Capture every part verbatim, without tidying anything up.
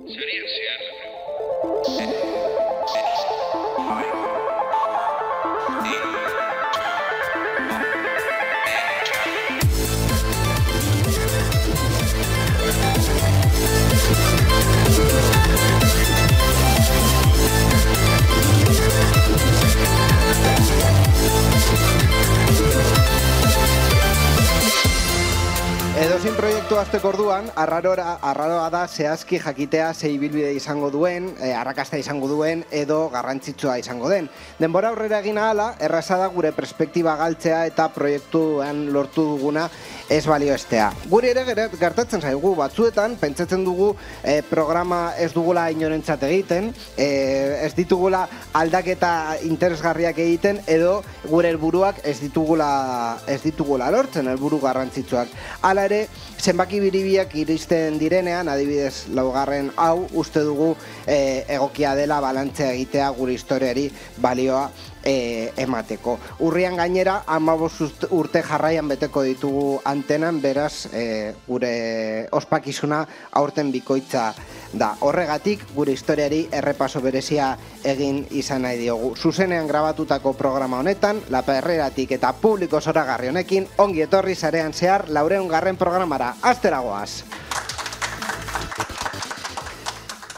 Zarian zehar, Edozein proiektu hasteko orduan, arraroa, arraroa da zehazki jakitea ze ibilbide izango duen, e, arrakasta izango duen, edo garrantzitsua izango den. Denbora aurrera egin ahala, erraza da gure perspektiba galtzea eta proiektuan lortu duguna ez balioestea. Guri ere gertatzen zaigu batzuetan, pentsatzen dugu e, programa ez dugula inorentzat egiten, e, ez ditugula aldaketa interesgarriak egiten, edo gure helburuak ez ditugula, ez ditugula lortzen, helburu garrantzitsuak. Hala ere, zenbaki biribiak iristen direnean, adibidez laugarren hau, uste dugu e, egokia dela balantzea egitea gure historiari balioa e, emateko. Urrian gainera, hamabost urte jarraian beteko ditugu antenan, beraz e, gure ospakizuna aurten bikoitza da. Horregatik, gure historiari errepaso berezia egin izan nahi diogu. Zuzenean grabatutako programa honetan, La Perreratik eta publiko zoragarri honekin, ongi etorri sarean zehar laurehun garren programara. Astera goaz!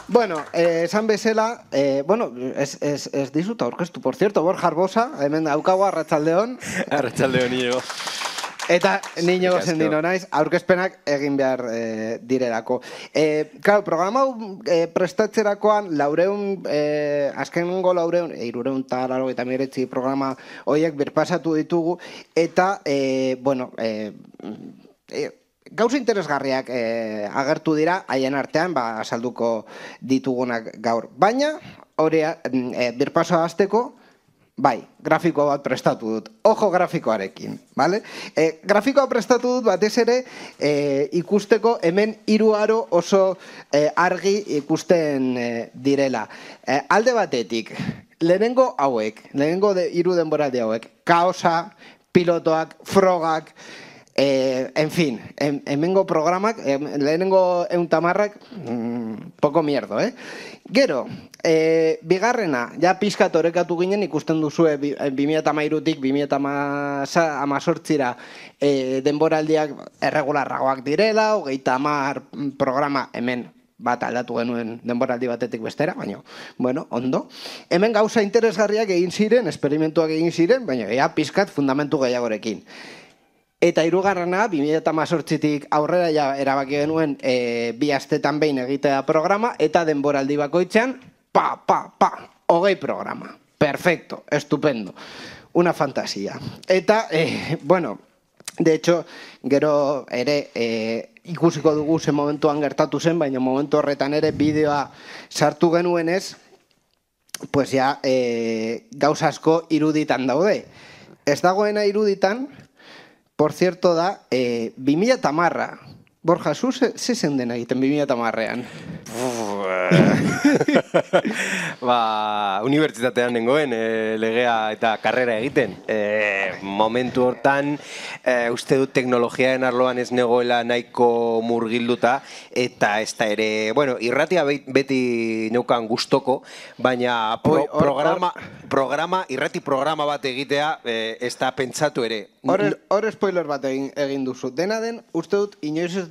Bueno, eh, esan bezala, eh, bueno, ez, ez, ez dizut aurkeztu, por cierto, Borja Arbosa, hemen daukagu, arratsaldeon. Arratsaldeon, Iñigo. Eta niño zendino naiz, aurkezpenak egin behar e, direlako. E, claro, programa e, prestatzerakoan laureun, e, azkenengo laureun, e, irureun eta laro eta miretzi programa horiek birpasatu ditugu, eta, e, bueno, e, e, gauza interesgarriak e, agertu dira, haien artean, ba, salduko ditugunak gaur. Baina, hori e, birpasoa hasteko, bai, grafiko bat prestatu dut. Ojo grafikoarekin, bale? E, grafikoa prestatu dut batez ere e, ikusteko hemen hiru aro oso e, argi ikusten e, direla. E, alde batetik, lehenengo hauek, lehenengo de, hiru denboraldi hauek, kaosa, pilotoak, frogak, Eh, en fin, en, hemengo programak, eh, lehenengo euntamarrak, mmm, poko mierdo, eh? Gero, eh, bigarrena, ja pizkat orekatu ginen ikusten duzue bi mila hamairutik bi mila hemezortzira eh, denboraldiak erregularragoak direla, hogeita hamar programa hemen bat aldatu genuen denboraldi batetik bestera, baina, bueno, ondo. Hemen gauza interesgarriak egin ziren, esperimentuak egin ziren, baina ja pizkat fundamentu gehiagorekin. Eta hirugarrena, bi mila hemezortzitik aurrera ja erabaki genuen e, bi astetan behin egitea programa, eta denboraldi bakoitzean, pa, pa, pa, hogei programa. Perfecto, estupendo. Una fantasia. Eta, e, bueno, de hecho, gero ere e, ikusiko dugu ze momentuan gertatu zen, baina momentu horretan ere bideoa sartu genuenez, pues ja, e, gauza asko iruditan daude. Ez dagoena iruditan, por cierto da, eh, bi mila hamarra. Borja, zu ze zenden egiten bi mila hamarrean? Ba, unibertsitatean nengoen e, legea eta karrera egiten. E, momentu hortan, e, uste dut teknologiaen arloan ez negoela nahiko murgilduta, eta ez da ere, bueno, irratia beti neukan gustoko, baina pro, Oi, or, programa, or, programa, irrati programa bat egitea e, ez da pentsatu ere. Hor spoiler bat egin, egin duzu. Dena den, uste dut, inoiz ez,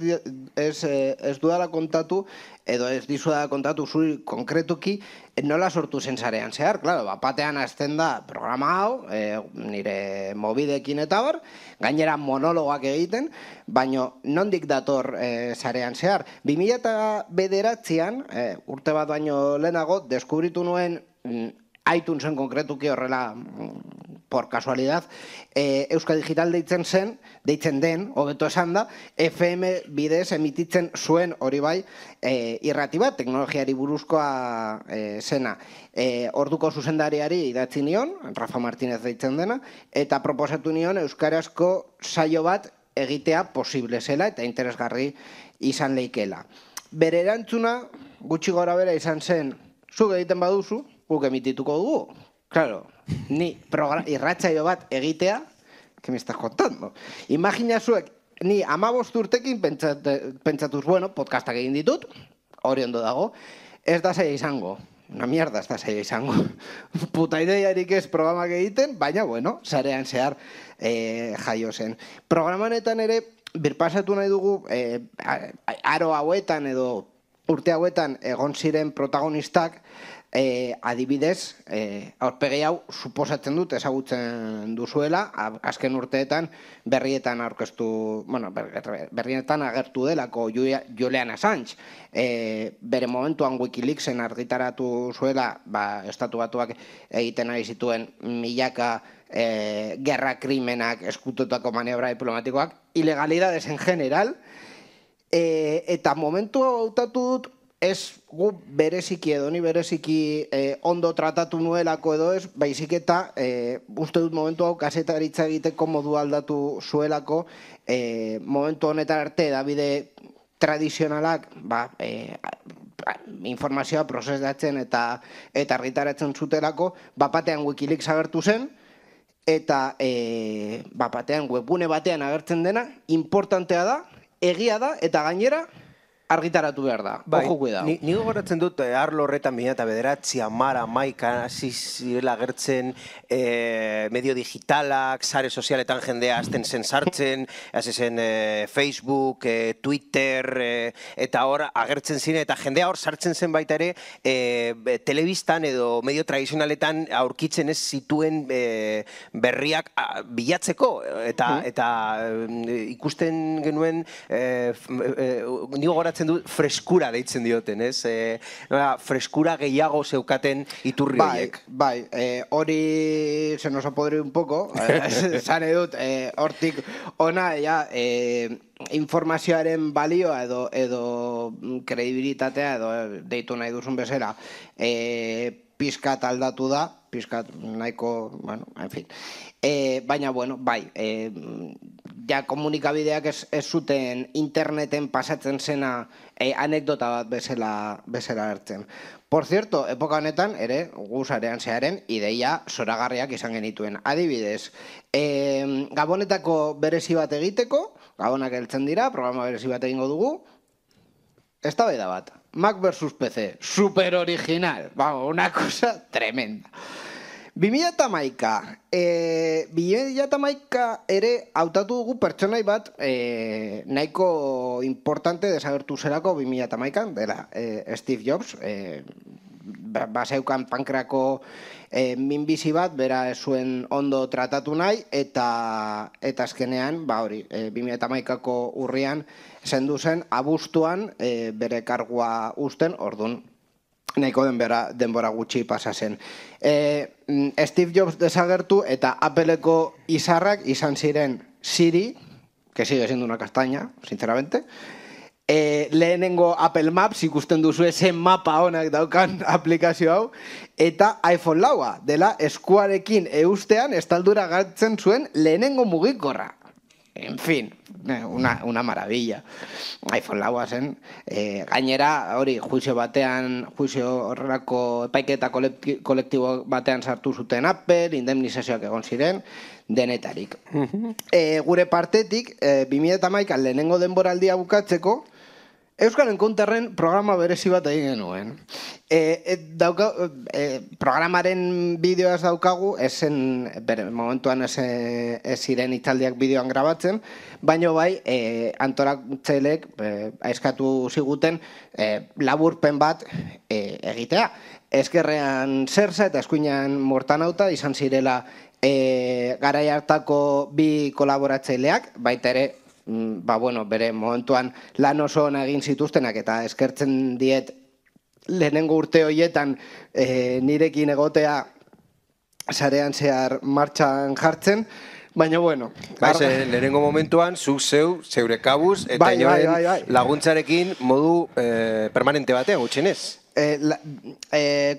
ez, ez dudala kontatu, edo ez dizu da kontatu zuri konkretuki, nola sortu zen zarean zehar. Claro, bapatean azten da programa hau, e, nire mobidekin eta bar, gainera monologoak egiten, baina nondik dator e, zarean zehar. bi mila bederatzean, e, urte bat baino lehenago, deskubritu nuen mm, iTunesen konkretuki horrela, por casualidad, e, Euskal Digital deitzen zen, deitzen den, hobeto esan da, F M bidez emititzen zuen hori bai, e, irrati bat, teknologiari buruzkoa e, zena. E, orduko zuzendariari idatzi nion, Rafa Martínez deitzen dena, eta proposatu nion euskarazko saio bat egitea posible zela eta interesgarri izan leikela. Bere erantzuna, gutxi gora bera izan zen, zuk egiten baduzu, guk emitituko dugu. Claro, ni irratsaio bat egitea, que me estás contando? Imagina zuek, ni hamabost urtekin pentsatuz, bueno, podcastak egin ditut, hori ondo dago, ez da zaila izango. Una mierda ez da zaila izango. Puta ideiarik ez programak egiten, baina, bueno, zarean zehar jaio zen. Programanetan ere, birpasatu nahi dugu, aro hauetan edo urte hauetan egon ziren protagonistak, adibidez, aurpegi hau suposatzen dut ezagutzen duzuela, azken urteetan berrietan aurkeztu, bueno, berrietan agertu delako Julian Assange. Bere momentuan Wikileaksen argitaratu zuela, estatu batuak egiten ari zituen milaka gerra krimenak eskututako maniobra diplomatikoak, ilegalidades en general, eta momentu hautatu dut, ez gu bereziki edo ni bereziki ondo tratatu nuelako edo ez, baizik eta uste dut momentu hau kasetaritza egiteko modu aldatu zuelako, momentu honetan arte edabide tradizionalak informazioa prozesatzen eta argitaratzen zutelako, bapatean Wikileaks agertu zen, eta bapatean webgune batean agertzen dena, importantea da, egia da, eta gainera, argitaratu behar da, ojo cuidao. Ni gogoratzen dut, arlo horretan bina eta bederatzi, amara, maika, hasi zirela agertzen medio digitalak, sare sozialetan jendea azten zen sartzen, hasi zen Facebook, Twitter, eta hor agertzen ziren, eta jendea hor sartzen zen baita ere, telebistan edo medio tradizionaletan aurkitzen ez zituen berriak bilatzeko, eta ikusten genuen, ni gogoratzen du freskura deitzen dioten, ez? Freskura gehiago zeukaten iturri horiek. Bai, hori se nos ha podrido un poco, zane dut, hortik ona, informazioaren balioa edo kredibilitatea edo deitu nahi duzun bezala, pizkat aldatu da, pizkat nahiko, bueno, en fin. Baina, bueno, bai, ja komunikabideak ez zuten interneten pasatzen zena anekdota bat bezala hartzen. Por cierto, epoka honetan, ere, gu sarean zearen, ideia zoragarriak izan genituen. Adibidez, Gabonetako berezi bat egiteko, Gabonak heltzen dira, programa berezi bat egingo dugu, eztabaida bat. Mac versus P C, super original, vamos, una cosa tremenda. bi mila hamaika, bi mila hamaika ere hautatu dugu pertsonai bat nahiko importante desagertu zerako bi mila hamaikan, dela Steve Jobs, baseukan pankrako minbizi bat, bera ez zuen ondo tratatu nahi, eta azkenean, ba hori, bi mila hamaikako urrian zendu zen, abuztuan bere kargua uzten, ordun nahiko denbora gutxi pasa zen. Steve Jobs desagertu eta Appleko izarrak izan ziren Siri, que sigue siendo una castaña, sinceramente, lehenengo Apple Maps ikusten duzu zen mapa honak daukan aplikazio hau, eta iPhone laua, dela eskuarekin eustean estaldura gartzen zuen lehenengo mugikorra. En fin, una, una maravilla. iPhone laua zen. Gainera, hori, juizio batean, juizio horrelako epaiketa kolektibo batean sartu zuten Apple, indemnizazioak egon ziren, denetarik. Gure partetik, bi mila hamaikan lehenengo denboraldia bukatzeko, Euskal Encounterren programa berezi bat egin genuen. Programaren bideoaz daukagu, esen, momentuan ez ziren italdiak bideoan grabatzen, baina bai, antolatzaileek eskatu ziguten laburpen bat egitea. Ezkerrean Zersa eta eskuinean Mortanauta izan zirela garai hartako bi kolaboratzaileak, baita ere, ba, bueno, bere momentuan lan oso ona egin zituztenak eta eskertzen diet lehenengo urte horietan nirekin egotea sarean zehar martxan jartzen, baina, bueno. Lehenengo momentuan, zuk zeu, zeure kabuz, eta inoen laguntzarekin modu permanente batean, gutxenez.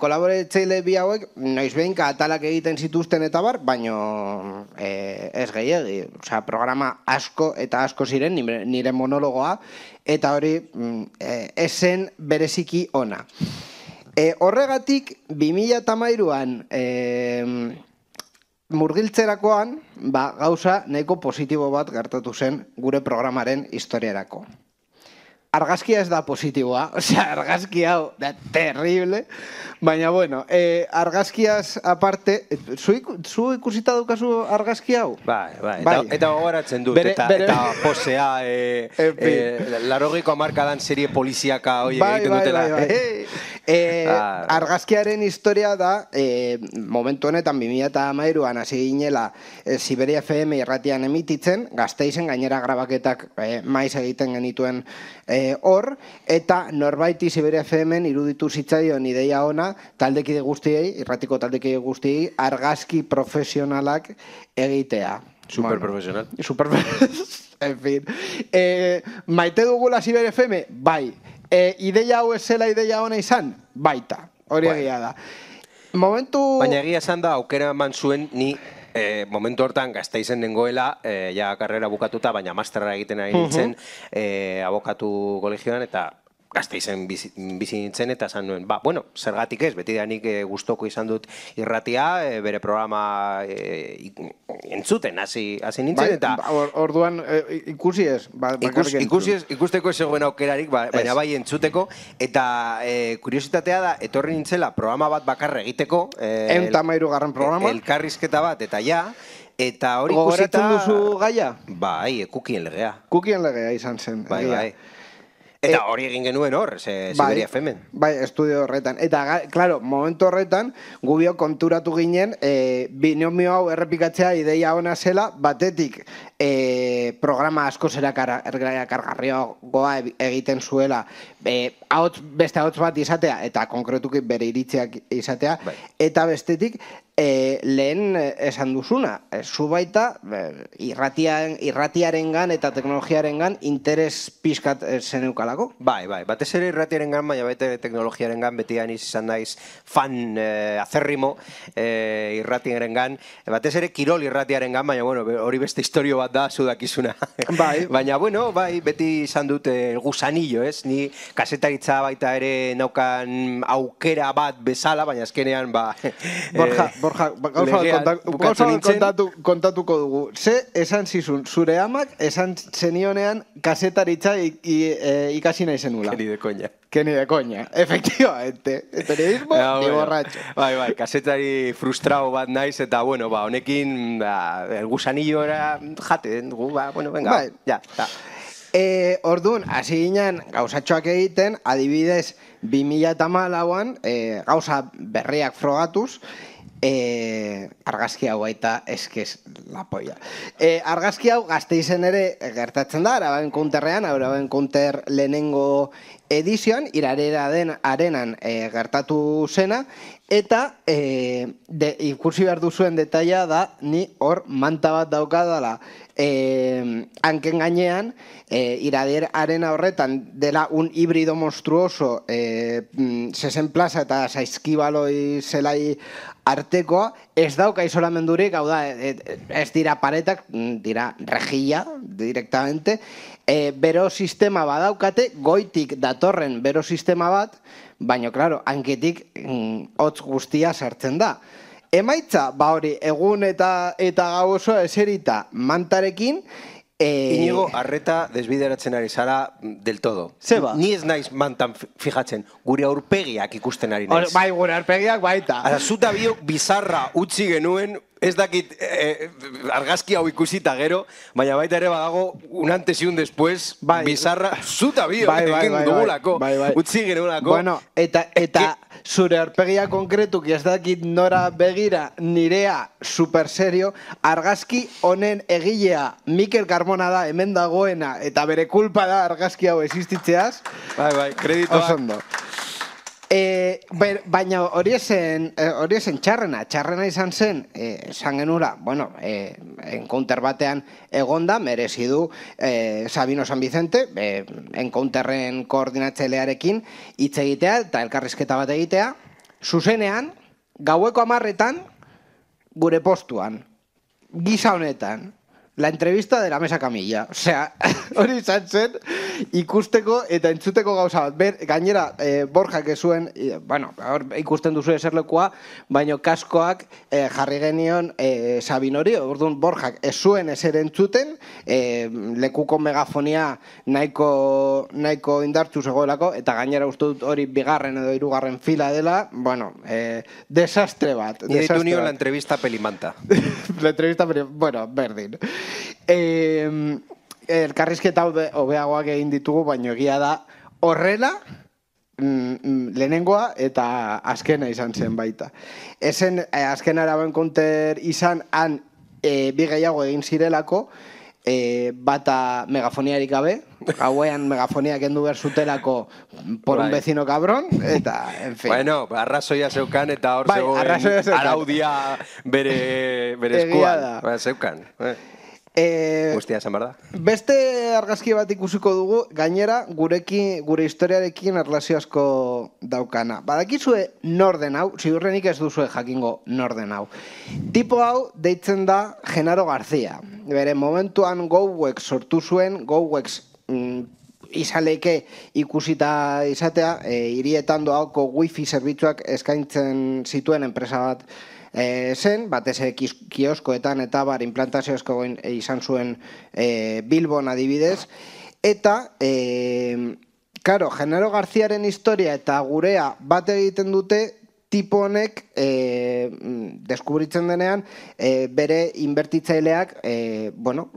Kolaboratzaile bi hauek noiz behinka atalak egiten zituzten eta bar, baino ez gehiagi. Osea, programa asko eta asko ziren, nire monologoa, eta hori esen bereziki ona. Horregatik, bi mila hamairuan murgiltzerakoan, gauza nahiko positibo bat gertatu zen gure programaren historiarako. argazkia ez da positiboa, osea, argazki hau da terrible, baina bueno, eh, argazkiaz aparte, zu, zu ikusita dukazu argazki hau? Bai, bai, bai. Eta, eta gogoratzen dut, bere, eta, bere... eta posea, e, e, larogiko amarkadan serie poliziaka hoi bai, egiten bai, dutela. Bai, bai. E, ah. Argazkiaren historia da, e, momentu honetan bi mila hamairuan hasi ginela e, Siberia F M irratian emititzen, Gasteizen gainera grabaketak e, maiz egiten genituen hor, e, eta norbaiti Siberia F M-en iruditu zitzaion ideia ona, taldekide guztiei, irratiko taldekide guztiei, argazki profesionalak egitea. Superprofesional. Bueno, superprofesional. En fin. E, maite dugula Siberia F M? Bai. E, ideia hau ez zela ideia ona izan? Baita, hori bueno. Egia da. Momentu... Baina egia esan da, aukera eman zuen ni e, momentu hortan Gasteizen nengoela, e, ja karrera bukatuta, baina masterra egiten ari nintzen, uh-huh. e, abokatu kolegioan, eta Gasteizen bizi, bizi nintzen, eta esan nuen, ba, bueno, zergatik ez, beti da nik e, gustoko izan dut irratia, e, bere programa e, entzuten, hasi nintzen, eta... Ba, or, orduan e, ikusi ez, ba, ikus, ikusi ez, ikusteko ez zegoen aukerarik, ba, baina bai entzuteko, eta e, kuriositatea da, etorri nintzela programa bat bakarra egiteko, e, Enta mairu garren programa, elkarrizketa bat, eta ja, eta hori ikusita... Gogoratzen duzu gaia? Bai, kukien legea. Kukien legea izan zen. Bai, bai. Eta hori egin genuen hor, ze Siberia F M-en. Bai, estudio horretan. Eta, klaro, momentu horretan, gubio konturatu ginen, e, binomio hau errepikatzea ideia ona zela, batetik e, programa asko zera kargarriagoa egiten zuela, e, ahots, beste ahots bat izatea, eta konkretuki bere iritziak izatea, bai. Eta bestetik, E, lehen esan duzuna, e, zu baita e, irratiaren, irratiarengan eta teknologiarengan interes pixkat zeneukalako? Bai, bai, batez ere irratiarengan, baina baita teknologiarengan betian izan naiz fan e, azerrimo e, irratiarengan, batez ere kirol irratiarengan, baina bueno, hori beste historio bat da, zudakizuna. Bai. Baina bueno, bai, beti izan dut e, gusanillo, ez? Ni kasetaritza baita ere naukan aukera bat bezala, baina azkenean, ba... Borja, e, Borja, gauza kontatu, kontatuko dugu. Ze esan zizun, zure amak esan zenionean kasetaritza ikasi nahi zenula. Keni de koña. Keni de koña, efectivamente. Periodismo ja, ni bueno. Borratxo. Bai, bai, kasetari frustrao bat naiz, eta bueno, ba, honekin, ba, el gusanillo era jate, dugu, ba, bueno, venga, bai. Ja, ja. E, orduan, hasi ginen gauzatxoak egiten, adibidez, bi mila hamalauan, e, gauza berriak frogatuz, E, argazki hau baita eskez la polla. E, argazki hau Gasteizen ere gertatzen da, Araban Counterrean, Araban Counter lehenengo edizioan, irarera den arenan e, gertatu zena, eta e, de, ikusi behar duzuen detaila da, ni hor manta bat daukadala e, hanken gainean, e, irader arena horretan dela un híbrido monstruoso e, Sesen Plaza eta Saizkibaloi zelai artekoa, ez dauka isolamendurik, hau da, ez dira paretak, dira rejilla, directamente, e, bero sistema badaukate, goitik datorren bero sistema bat, baina, klaro, hanketik mm, hotz guztia sartzen da. Emaitza, ba hori, egun eta eta gau oso eserita mantarekin, Eh... Inigo, arreta desbideratzen ari zara del todo. Zeba? Ni ez naiz mantan fijatzen, gure aurpegiak ikusten ari naiz. Bai, gure aurpegiak baita. Ara, zuta biok bizarra utzi genuen, ez dakit eh, argazki hau ikusita gero, baina baita ere badago un antes y un después, bai. Bizarra, zuta biok bai, bai, bai, dugulako, bai, bai. utzi genuelako. Bueno, eta, eta zure aurpegia konkretuk ez dakit nora begira nirea super serio, argazki honen egilea Mikel Carmona da hemen dagoena, eta bere kulpa da argazki hau existitzeaz. Bai, bai, kreditoak. Osondo. E, baina hori esen, hori esen txarrena, txarrena izan zen, e, esan genura, bueno, e, encounter batean egonda, merezi du e, Sabino San Vicente, e, encounterren koordinatzailearekin hitz egitea eta elkarrizketa bat egitea, zuzenean, gaueko hamarretan, gure postuan, gisa honetan, la entrevista de la mesa camilla. Osea, hori izan zen, ikusteko eta entzuteko gauza bat. Ber, gainera, e, Borjak ez zuen, e, bueno, hor ikusten duzu eserlekoa, baino kaskoak e, jarri genion e, Sabinori, orduan Borjak ez zuen eser entzuten, e, lekuko megafonia nahiko, nahiko indartzu zegoelako, eta gainera uste dut hori bigarren edo hirugarren fila dela, bueno, e, desastre bat. Ni ditu nio la entrevista pelimanta. La entrevista pelimanta, bueno, berdin. Eh, elkarrizketa hobeagoak egin ditugu, baino egia da horrela mm, lehenengoa eta azkena izan zen baita. Ezen eh, azkena eraben konter izan han eh, bi gehiago egin zirelako, eh, bata megafoniarik gabe, hauean megafonia kendu behar zutelako por un vecino cabrón, eta, en fin. Bueno, arrazoia zeukan eta hor bai, zegoen araudia bere, bere eskuan. Ba, zeukan. Eh. Eh, Guztia esan behar da. Beste argazki bat ikusiko dugu, gainera gurekin, gure historiarekin erlazio asko daukana. Badakizue norden hau, ziurrenik ez duzue jakingo norden hau. Tipo hau deitzen da Genaro García. Bere momentuan Gouwex sortu zuen, Gouwex mm, izaleke ikusita izatea, e, hirietan doako wifi zerbitzuak eskaintzen zituen enpresa bat E, zen, batez kioskoetan eta bar implantazioazko e, izan zuen e, Bilbon adibidez, eta e, karo, Genaro Garziaren historia eta gurea bat egiten dute tipo honek e, deskubritzen denean e, bere inbertitzaileak e, bueno,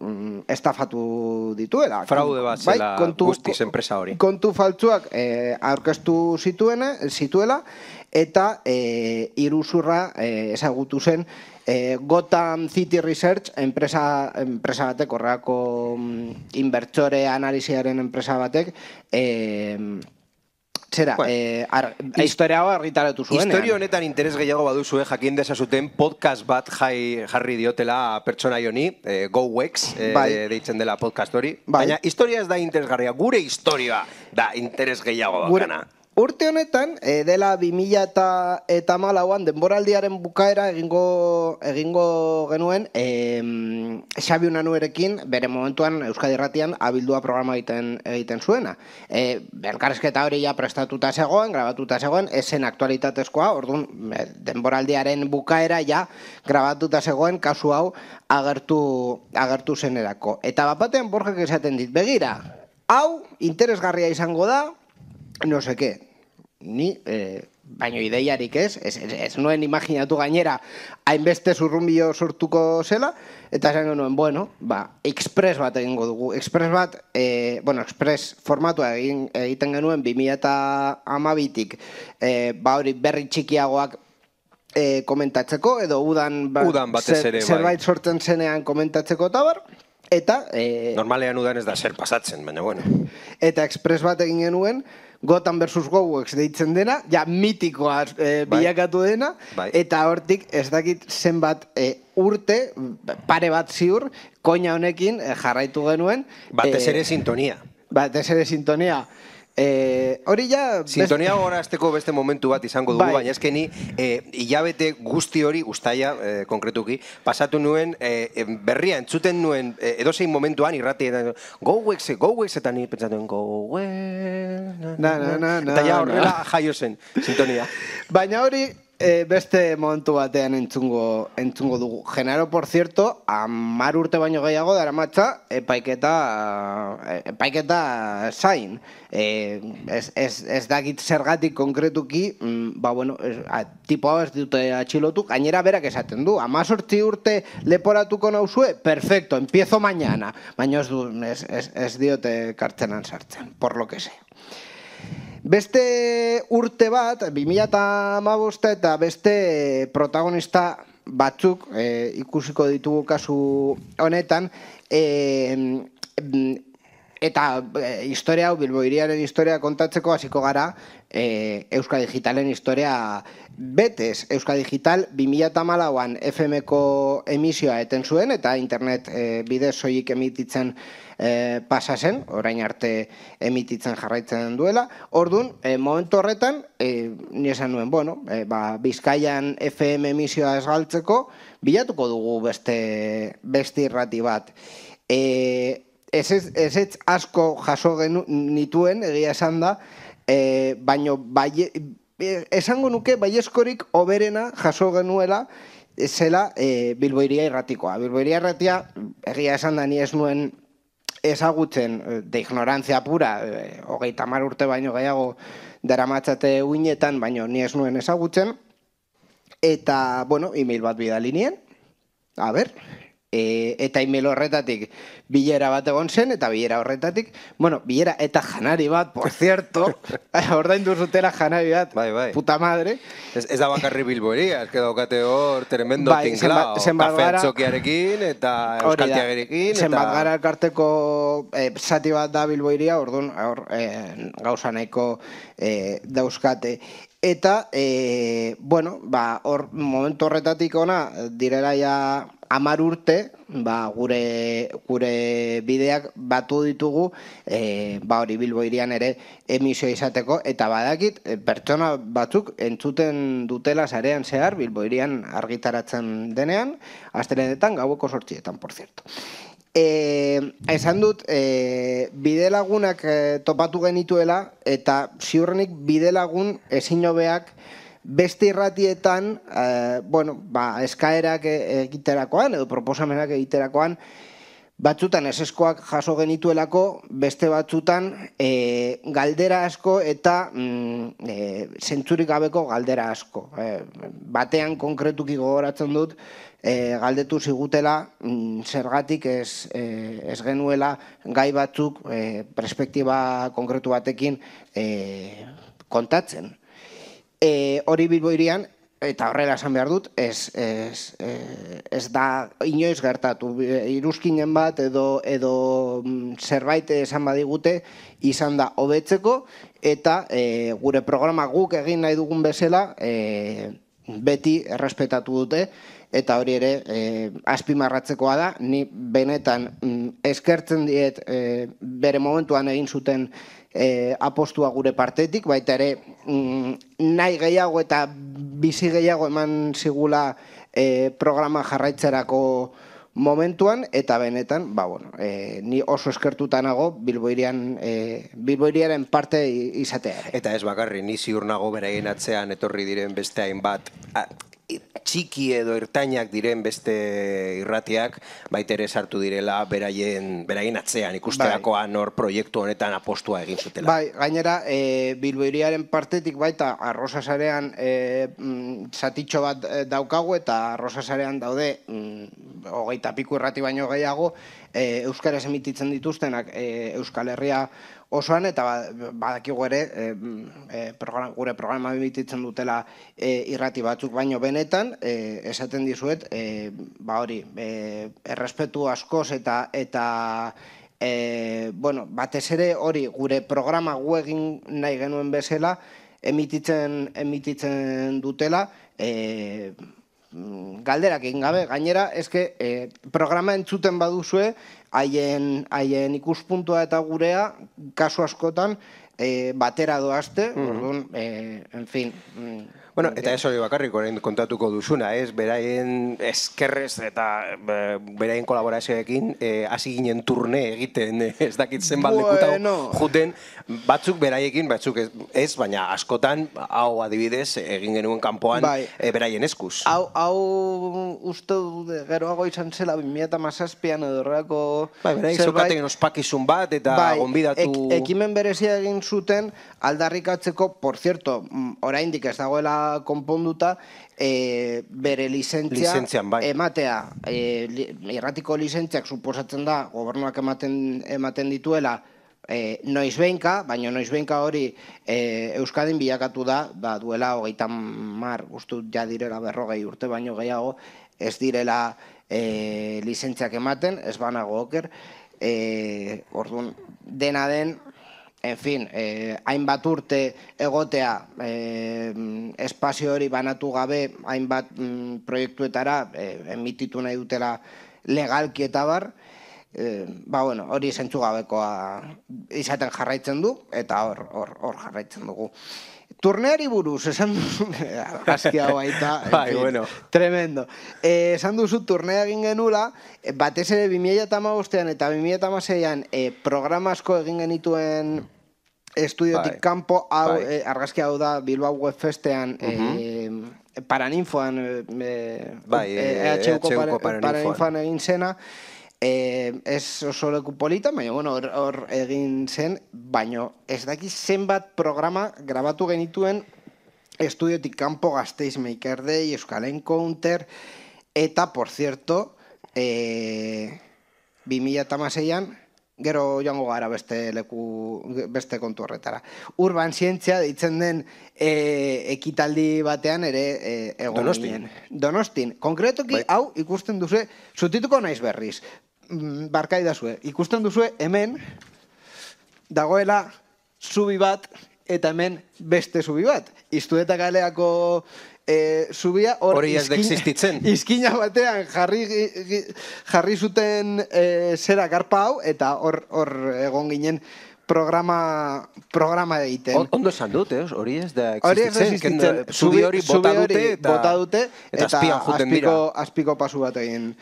estafatu dituela. Fraude bat zela bai, guztiz enpresa hori. Kontu faltsuak e, aurkeztu zituena, zituela, eta e, iruzurra e, ezagutu zen e, Gotham City Research enpresa, enpresa batek, horreako inbertsore analiziaren enpresa batek, e, zera, bueno, e, ar, historia hau argitaratu zuen. Historia honetan interes gehiago baduzue jakin dezazuten podcast bat jai, jarri diotela pertsona joni, e, Gouwex, e, bai. deitzen dela podcast hori. Bai. Baina historia ez da interesgarria, gure historia da interes gehiago bakana. Urte honetan, e, dela bi mila eta hamalauan denboraldiaren bukaera egingo, egingo genuen e, Xabi Unanuerekin bere momentuan Euskadi Irratian abildua programa egiten, egiten zuena. E, elkarrizketa hori ja prestatuta zegoen, grabatuta zegoen, esen aktualitatezkoa, orduan denboraldiaren bukaera ja grabatuta zegoen kasu hau agertu, agertu zenerako. Eta bapatean Borjak esaten dit, begira, hau interesgarria izango da, no sé qué, ni, eh, baino ideiarik ez, ez, ez, ez nuen imaginatu gainera hainbeste zurrumbio sortuko zela, eta esan genuen, bueno, ba, express bat egingo dugu. Express bat, eh, bueno, express formatua egin, egiten genuen bi mila hamabitik, eh, ba hori berri txikiagoak eh, komentatzeko, edo udan, ba, udan batez ere, zer, zerbait sortzen zenean komentatzeko eta bar, eta... Eh, normalean udan ez da zer pasatzen, baina bueno. Eta express bat egin genuen, Gotham versus Gouwex deitzen dena, ja mitikoa e, bilakatu dena, bai. Eta hortik ez dakit zenbat e, urte, pare bat ziur, koina honekin e, jarraitu genuen. Batez ere e, sintonia. Batez ere sintonia. E, hori ja... Sintonia gorazteko beste momentu bat izango dugu, bai. Baina ezken ni e, hilabete guzti hori, ustaia e, konkretuki, pasatu nuen e, berria entzuten nuen e, edozein momentuan irrati eta Gouwex, Gouwex, eta ni pentsatuen Gouwex... Na, na, na, na, eta ja horrela jaio zen, sintonia. Baina hori... E, beste momentu batean entzungo, entzungo dugu. Genaro, por cierto, hamar urte baino gehiago dara matza, epaiketa, epaiketa zain. E, ez, ez, ez dakit zergatik konkretuki, mm, ba bueno, ez, a, tipo hau ez dute atxilotu, gainera berak esaten du, amazortzi urte leporatuko nauzue, perfecto, empiezo mañana. Baina ez, du, ez, ez, ez diote kartzenan sartzen, por lo que sea. Beste urte bat, bi mila hamabost eta beste protagonista batzuk e, ikusiko ditugu kasu honetan, e, eta e, historia hau, Bilbo hiriaren historia kontatzeko hasiko gara e, Euskadi Digitalen historia betez. Euskadi Digital bi mila hamalauan F M-ko emisioa eten zuen eta internet e, bidez soilik emititzen E, pasa zen, orain arte emititzen jarraitzen duela. Orduan, e, momentu horretan, e, ni esan nuen, bueno, e, ba, Bizkaian F M emisioa esgaltzeko, bilatuko dugu beste, beste irrati bat. E, ez ez asko jaso nituen, egia esan da, baino esango nuke baieskorik oberena jaso genuela zela Bilbo Hiria irratikoa. Bilbo Hiria irratia, egia esan da, ni ez nuen ezagutzen de ignorantzia pura, hogeita hamar urte baino gehiago daramatzate uinetan, baino ni ez nuen ezagutzen, eta, bueno, e-mail bat bidali nien, a ber, eta e-mail horretatik bilera bat egon zen, eta bilera horretatik, bueno, bilera eta janari bat, por cierto, ordaindu zutela janari bat, puta madre. Ez da bakarri Bilbo Hiria, ez que daukate hor tremendo tinklao, kafetxokiarekin eta euskaltiagerekin. Zenbat gara elkarteko zati bat da Bilbo Hiria, orduan gauza nahiko dauzkate. Eta, bueno, hor momentu horretatik ona, direla ja hamar urte, gure bideak batu ditugu, hori Bilbo Hirian ere emisio izateko, eta badakit, pertsona batzuk entzuten dutela sarean zehar, Bilbo Hirian argitaratzen denean, astelenetan gaueko sortzietan, por cierto. Esan dut, bide lagunak topatu genituela, eta ziurrenik bide lagun ezin hobeak beste irratietan, eskaerak egiterakoan, edo proposamenak egiterakoan, batzutan eseskoak jaso genituelako, beste batzutan galdera asko eta zentzurik gabeko galdera asko. Batean konkretuki gogoratzen dut, galdetu zigutela zergatik ez genuela gai batzuk perspektiba konkretu batekin kontatzen. Hori Bilbo Hirian, eta horrela esan behar dut, ez da inoiz gertatu. Iruzkinen bat edo zerbait esan badigute izan da hobetzeko, eta gure programa guk egin nahi dugun bezala beti errespetatu dute, eta hori ere azpimarratzekoa da, ni benetan eskertzen diet bere momentuan egin zuten apostua gure partetik, baita ere nahi gehiago eta bizi gehiago eman zigula programa jarraitzerako momentuan, eta benetan, ni oso eskertuta nago Bilbo Hiriaren parte izatea. Eta ez bakarri, ni ziur nago beraien atzean etorri diren beste hainbat txiki edo ertainak diren beste irratiak, baita ere sartu direla beraien atzean ikusterakoan hor proiektu honetan apostua egin zutela. Bai, gainera, Bilbo Hiriaren partetik baita Arrosasarean zatitxo bat daukagu, eta Arrosasarean daude hogeita piku irrati baino gehiago euskaraz emititzen dituztenak Euskal Herria osoan, eta badakigu ere gure programa emititzen dutela irrati batzuk baino benetan, esaten dizuet, hori, errespetu askoz eta batez ere hori gure programa gu egin nahi genuen bezala emititzen dutela, galderak egin gabe. Gainera, eske programa entzuten baduzue, haien ikuspuntua eta gurea kasu askotan batera doazte, en fin. Bueno, eta ez hori bakarrik orain kontatuko duzuna, ez? Beraien eskerrez eta beraien kolaborazioekin hasi ginen turne egiten, ez dakit zenbat lekuta juten, batzuk beraiekin, batzuk ez, baina askotan, hau adibidez, egin genuen kanpoan beraien eskuz. Hau uste geroago izan zela bi mila hamazazpian edo horrelako... Bai, beraik zeukaten ospakizun bat eta gonbidatu... Ekimen berezia egin zuten aldarrikatzeko, por cierto, oraindik ez dagoela konponduta, bere lizentzia ematea. Irratiko lizentziak suposatzen da, gobernuak ematen dituela noizbehinka, baina noizbehinka hori Euskadin bilakatu da, duela hogeita hamar, uste ja direla berrogei urte baino gehiago, ez direla lizentziak ematen, ez banago oker, orduan dena den, en fin, hainbat urte egotea espazio hori banatu gabe hainbat proiektuetara emititu nahi dutela legalki eta bar, ba, bueno, hori zentzugabekoa izaten jarraitzen du, eta hor, hor, hor jarraitzen dugu. Turneari buruz, esan duzu, argazkia baita, bai, bueno. Tremendo. Eh, esan duzu, turnea egin genula, batez ere bi mila hamabostean eta bi mila hamaseian eh, programa asko egin genituen estudiotik bai. kanpo, hau, bai. eh, argazkia hau da Bilbao Web Festean, uh -huh. eh, Paraninfoan, eh, bai, eh, E H Uko Paraninfoan egin zena, Eh, ez oso leku polita, baina bueno, hor, hor egin zen, baina ez daki zenbat programa grabatu genituen estudiotik kanpo Gasteiz Maker Day, Euskal Encounter, eta, por cierto, eh, bi mila hamaseian, gero joango gara beste leku, beste kontu horretara. Urban zientzia deitzen den eh, ekitaldi batean ere eh, egon Donostin. ginen. Donostin. Konkretoki, bai. Hau ikusten duzue, zutituko naiz berriz. Barkai dazue, ikusten duzue hemen dagoela zubi bat eta hemen beste zubi bat. Iztueta kaleako e, zubia hori ez da existitzen. Izkina batean jarri, jarri zuten e, zera garpa hau eta hor, hor egon ginen programa programa egiten. Ondo esan dut, eh? Hori ez da existitzen. Hori ez da existitzen. Zubi hori bota dute eta, bota dute, eta, eta azpian juten dira. Azpiko pasu bat egin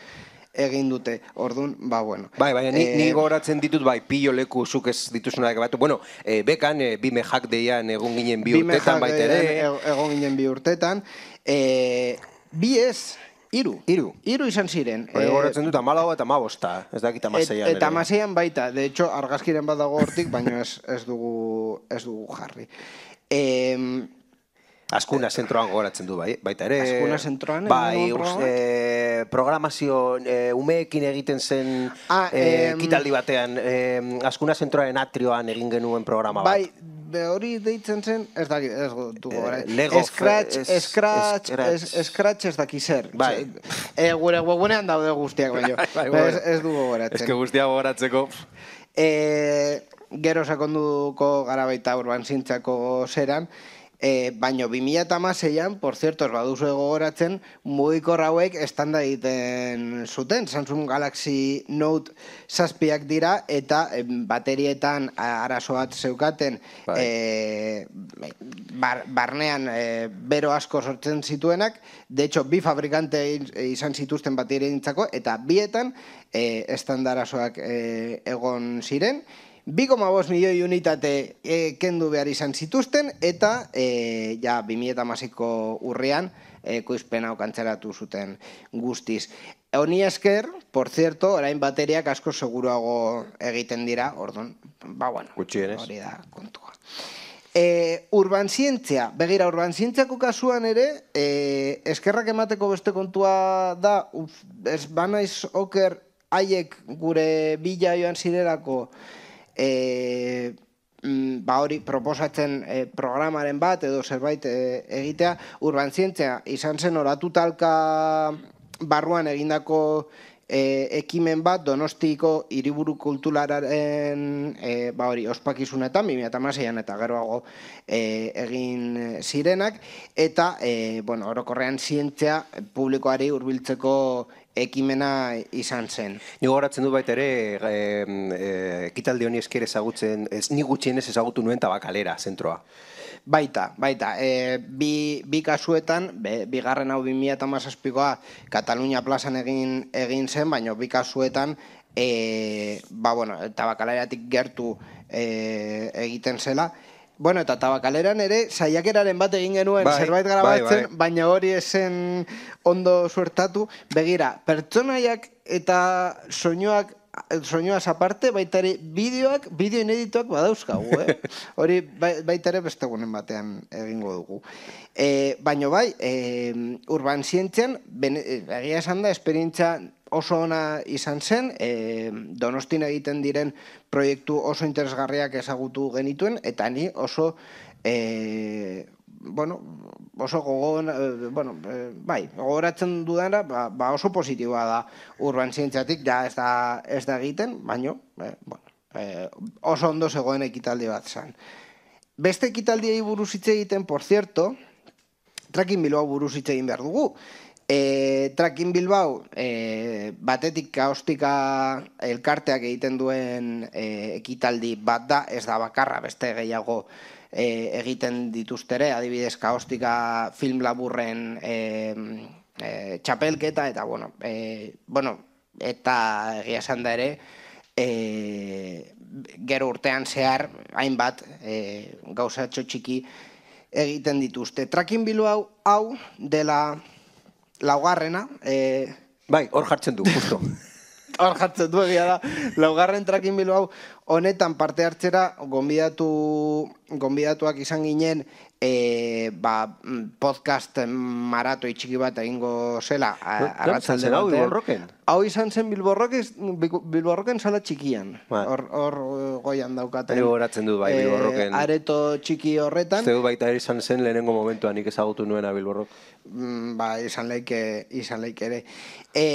egin dute, orduan, ba, bueno. Bai, baina ni, eh, ni goratzen ditut, bai, pillo leku zuk ez dituzunak batu. Bueno, eh, bekan, eh, bime jak deian egon ginen bi urtetan baita ere. Egon ginen bi urtetan. Eh, bi ez, iru. Iru. Iru izan ziren. Bai, eh, goratzen dut, amalau eta amabosta. Ez dakit amaseian. Et, eta amaseian baita. De hecho, argazkiren bat dago hortik, baina ez, ez, dugu, ez dugu jarri. Eh, Azkuna zentroan goratzen du, bai, baita ere. Azkuna zentroan? Bai, e, programazio e, umeekin egiten zen ah, e, kitaldi batean. E, Azkuna zentroaren atrioan egin genuen programa bat. Bai, hori deitzen zen, ez dakit, ez dugu gara. E, Lego, Scratch, es, Scratch, es, Scratch ez daki zer. Bai. E, gure webunean daude guztiak, baino. bai, bai, ez, ez dugu goratzen. Ez que guztiak goratzeko. E, gero sakonduko gara baita urban zintzako zeran, E, baina bi mila hamaseian, por cierto, ez baduzu gogoratzen, mugikor hauek estanda egiten zuten. Samsung Galaxy Note zazpiak dira eta e, baterietan arazo bat zeukaten e, bar, barnean e, bero asko sortzen zituenak. De hecho, bi fabrikante izan zituzten baterientzako eta bietan e, estanda arazoak e, egon ziren. bi koma bost milioi unitate e, kendu behar izan zituzten, eta e, ja, bi mila hamaseiko urrian e, koizpen hau kantzeratu zuten guztiz. Honi esker, por cierto, orain bateriak asko seguruago egiten dira, orduan, ba, bueno, hori da kontua. E, urban zientzia, begira, urban zientziako kasuan ere, e, eskerrak emateko beste kontua da, uf, ez banaiz oker haiek gure bila joan zirelako, E, ba hori proposatzen e, programaren bat edo zerbait e, egitea, urban zientzia izan zen oratu talka barruan egindako e, ekimen bat Donostiko hiriburu kulturalaren e, ba hori ospakizunetan bi mila hamaseian eta geroago e, egin zirenak, eta e, bueno, orokorrean zientzia publikoari hurbiltzeko ekimena izan zen. Ni gogoratzen du baita ere, ekitaldi honi esker ezagutzen, ez ni gutxienez ezagutu nuen Tabakalera zentroa. Baita, baita. E, bi, bi kasuetan, be, bigarren hau bi mila hamazazpikoa Katalunia plazan egin, egin zen, baina bi kasuetan e, ba, bueno, Tabakaleratik gertu e, egiten zela. Bueno, eta Tabakaleran ere, saiakeraren bat egin genuen bai, zerbait grabatzen, bai, bai. Baina hori esen ondo suertatu. Begira, pertsonaiak eta soinuak, soinuaz aparte, baita ere, bideoak, bideo inedituak badauzkagu, eh? Hori baita ere beste gunen batean egingo dugu. E, baina bai, e, urban zientzian, egia esan da, esperientzia oso ona izan zen, e, Donostin egiten diren proiektu oso interesgarriak ezagutu genituen, eta ni oso, e, bueno, oso gogoan, e, bueno, e, bai, gogoratzen dudana, ba, ba oso positiboa da urban zientziatik, ja ez da, ez da egiten, baina, e, bueno, e, oso ondo zegoen ekitaldi bat zen. Beste ekitaldiei buruz hitz egiten, por cierto, Tracking Bilbao buruz hitz egin behar dugu. E, Tracking Bilbao, e, batetik kaostika elkarteak egiten duen e, ekitaldi bat da, ez da bakarra, beste gehiago e, egiten dituztere, adibidez kaostika film laburren e, e, txapelketa, eta bueno, e, bueno, eta egia esan da ere, e, gero urtean zehar, hainbat, e, gauzatxo txiki egiten dituzte. Tracking Bilbao hau dela laugarrena. E... Bai, hor jartzen du, justo. Hor jartzen du egia da. Laugarren Tracking Bilbao honetan parte hartzera gonbidatu, gonbidatuak izan ginen e, ba, podcast marato itxiki bat egingo zela. Arratzalde hau Bilborroken? Hau izan zen Bilborroken sala txikian. Hor, hor goian daukaten. Hori goratzen du bai Bilborroken. E, areto txiki horretan. Zeu baita ere izan zen lehenengo momentuan nik ezagutu nuena Bilborrok. Ba, izan leike, izan leike ere. E,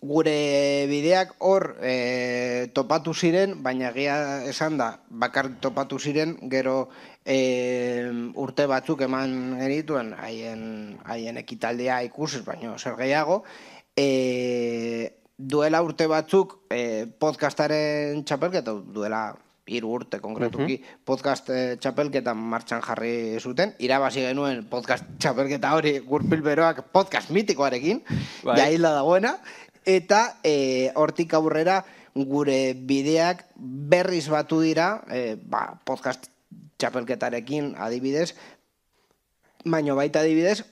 gure bideak hor e, topatu ziren, baina egia esan da, bakar topatu ziren, gero e, urte batzuk eman genituen haien, haien ekitaldia ikusiz, baina zer gehiago, e, duela urte batzuk e, podcastaren txapelketa, duela hiru urte konkretuki, uh-huh. podcast eh, txapelketa martxan jarri zuten, irabazi genuen podcast txapelketa hori Gurpil Beroak podcast mitikoarekin, bai. Jaila dagoena, eta eh, hortik aurrera gure bideak berriz batu dira, eh, ba, podcast txapelketarekin adibidez, baino baita adibidez,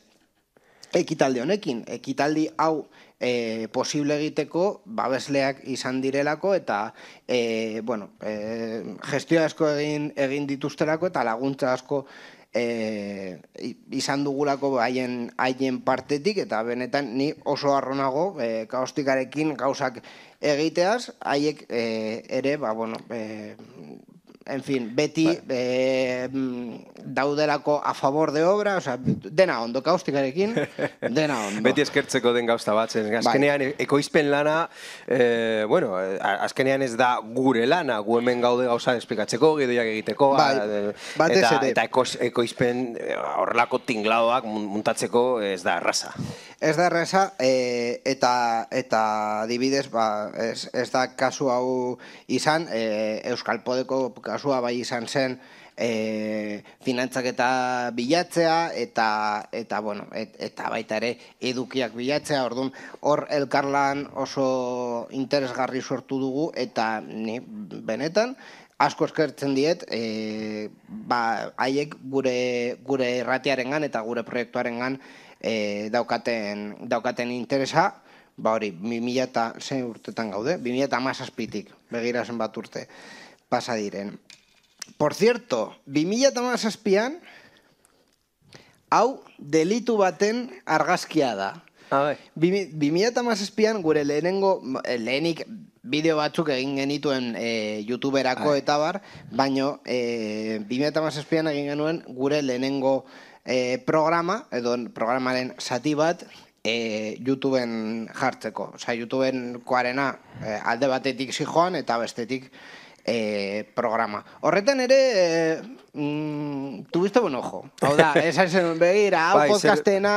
ekitaldi honekin, ekitaldi hau E, posible egiteko babesleak izan direlako eta e, bueno, e, gestio asko egin, egin dituztelako eta laguntza asko e, izan dugulako haien haien partetik eta benetan ni oso harronago e, kaostikarekin gauzak egiteaz, haiek e, ere, ba, bueno, e, en fin, beti eh, daudelako a favor de obra, o sea, dena ondo kaustikarekin, dena ondo. Beti eskertzeko den gauza batzen. Azkenean, bai. Ekoizpen lana, eh, bueno, azkenean ez da gure lana, gu hemen gaude gauza esplikatzeko, gidoiak egiteko, bai. eta, eta ekoizpen horrelako tingladoak muntatzeko ez da erraza. Ez da erraza, e, eta, eta adibidez, ba, ez, ez da kasu hau izan, e, Euskal Podeko kasua bai izan zen, e, finantzak eta bilatzea, eta, eta, bueno, et, eta baita ere edukiak bilatzea, orduan hor elkarlan oso interesgarri sortu dugu, eta ni benetan, asko eskertzen diet, e, ba, haiek gure, gure erratiarengan eta gure proiektuarengan E, daukaten, daukaten interesa, ba hori, bi mila eta zein urtetan gaude, bi mila eta hamazazpitik, begira zen bat urte pasa diren. Por cierto, bi mila eta hamazazpian, hau delitu baten argazkia da. bi mila eta hamazazpian gure lehenengo, lehenik bideo batzuk egin genituen e, youtuberako Ai. Eta bar, baino e, bi mila eta hamazazpian egin genuen gure lehenengo E, programa, edo programaren zati bat, e, YouTubeen jartzeko. Osa, YouTubeen koarena e, alde batetik zijoan eta bestetik e, programa. Horretan ere, e, mm, tuviste buen ojo. Hau da, esan zen begira, hau podcastena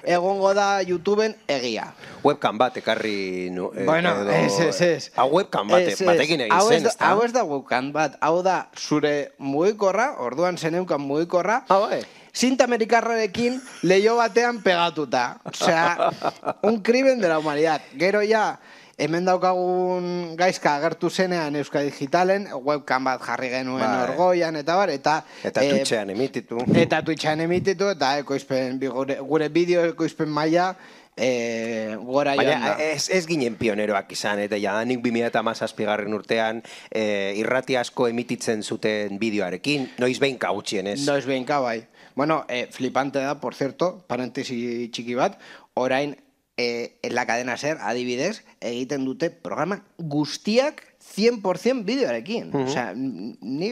egongo da YouTubeen egia. Webcam bat ekarri... No, eh, bueno, edo, ez, ez, ez. Hau webcam bat, es, batekin egin zen, ez da? Hau ez da webcam bat, hau da zure mugikorra, orduan zeneukan mugikorra, ah, bai. Cinta amerikarrarekin leio batean pegatuta. Osea, un crimen de la humanidad. Gero ja, hemen daukagun gaizka agertu zenean Euskal Digitalen, webcam bat jarri genuen bai. Orgoian, eta bar, eta... Eta e, Twitchean emititu. Eta Twitchean emititu, eta ekoizpen, gure, gure bideo ekoizpen maila, E, gora joan da. Ez, ez ginen pioneroak izan, eta jadanik bi mila eta hamazazpigarren urtean e, irrati asko emititzen zuten bideoarekin, noiz behinka gutxien ez? Noiz behinka, bai. Bueno, eh, flipante da, por cierto, parentesi txiki bat, orain eh, en la cadena SER, adibidez, egiten dute programa guztiak cien por cien bideoarekin. Osea, ni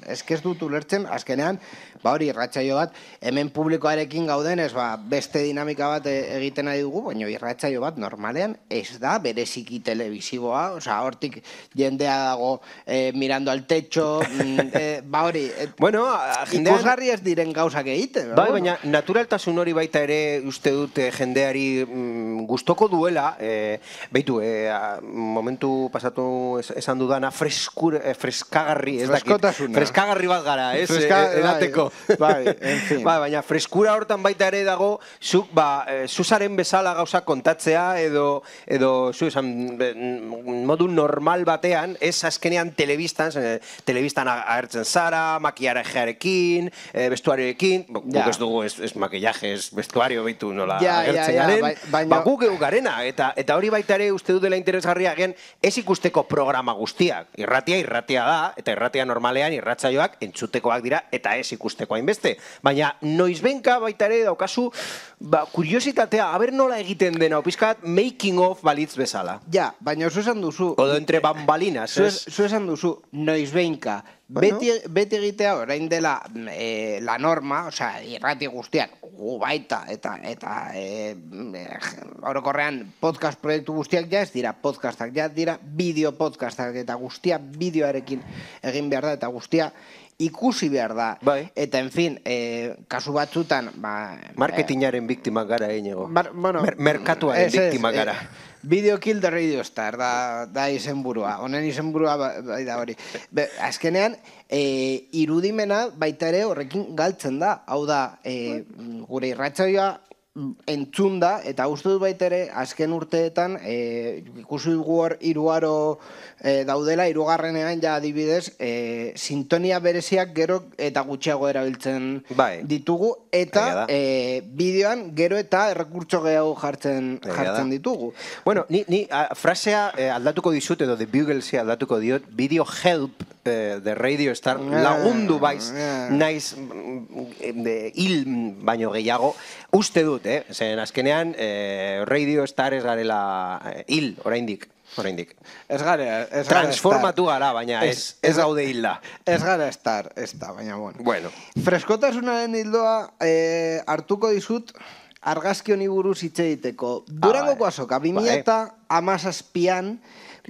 eske ez dut ulertzen, azkenean, ba hori, irratsaio bat, hemen publikoarekin gaudenez, ba, beste dinamika bat egiten nahi dugu, baina irratsaio bat normalean ez da bereziki telebisiboa, osea, hortik jendea dago eh, mirando al techo, eh, ba hori, eh, bueno, jendean... ikusgarri ez diren gauzak egiten. Bai, baina naturaltasun hori baita ere uste dut jendeari mm, gustoko duela, eh, beitu, eh, momentu pasatu esan dudana, freskur, eh, freskagarri, ez dakit. Freskagarri bat gara, ez? Freska, eh, edateko. Bai, bai, en fin. Ba, baina freskura hortan baita ere dago, zuk, ba, eh, zuzaren bezala gauza kontatzea, edo, edo zu esan, modu normal batean, ez azkenean telebistan, eh, telebistan agertzen zara, makillajearekin, eh, bestuarioekin, guk ez dugu, ez, ez makillaje, ez bestuario beitu nola ja, agertzen ja, ja, garen, bai, baina... ba, guk egu garena, eta, eta hori baita ere uste dut dela interesgarria gen, ez ikusteko programa guztiak. Irratia, irratia da, eta irratia normalean irratsaioak entzutekoak dira, eta ez ikusteko hainbeste. Baina noizbenka baita ere daukazu, ba, kuriositatea, haber nola egiten dena, pizkat making of balitz bezala. Ja, baina zu esan duzu... Odo entre bambalinas, ez? Zu esan duzu, noizbenka, bueno. beti, beti egitea orain dela eh, la norma, osea, irrati guztiak, gu baita, eta, eta eh, orokorrean podcast proiektu guztiak ja ez dira podcastak, ja dira bideo podcastak, eta guztia bideoarekin egin behar da, eta guztia ikusi behar da. Bai. Eta, en fin, eh, kasu batzutan... Ba, marketingaren eh, biktimak gara, eñego. Bueno, Mer merkatuaren biktimak gara. Eh, Video Kill the Radio Star, da, da izenburua. Honen izenburua bai da hori. Be, azkenean, e, irudimena baita ere horrekin galtzen da. Hau da, e, gure irratsaioa entzun da, eta uste dut baita ere, azken urteetan, e, ikusi dugu hor iruaro e, daudela, irugarrenean ja adibidez, e, sintonia bereziak gero eta gutxiago erabiltzen bai. ditugu, eta e, bideoan gero eta errekurtso gehiago jartzen, jartzen ditugu. Bueno, ni, ni a, frasea eh, aldatuko dizut, edo The Buglesi aldatuko diot, Video Help eh, de Radio Star lagundu baiz, yeah. naiz de, hil baino gehiago, uste dut, eh? Zen azkenean, eh, Radio Star ez garela eh, hil, oraindik. Oraindik. Ez gara, ez gara transformatu gara, baina ez, ez gaude hilda. Ez gara estar, ez da, baina bueno. Bueno. Freskotasunaren hildoa eh, hartuko dizut argazki honi buruz hitz egiteko. Durangoko ah, azoka, bi mila hamazazpian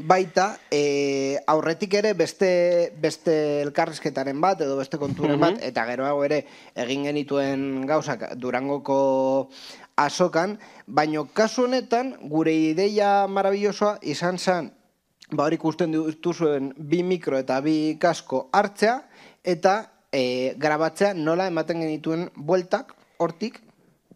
baita e, aurretik ere beste, beste elkarrizketaren bat edo beste konturen bat, uh-huh. eta geroago ere egin genituen gauzak Durangoko azokan, baino kasu honetan gure ideia marabillosoa izan zen, ba hori ikusten dituzuen bi mikro eta bi kasko hartzea, eta e, grabatzea nola ematen genituen bueltak hortik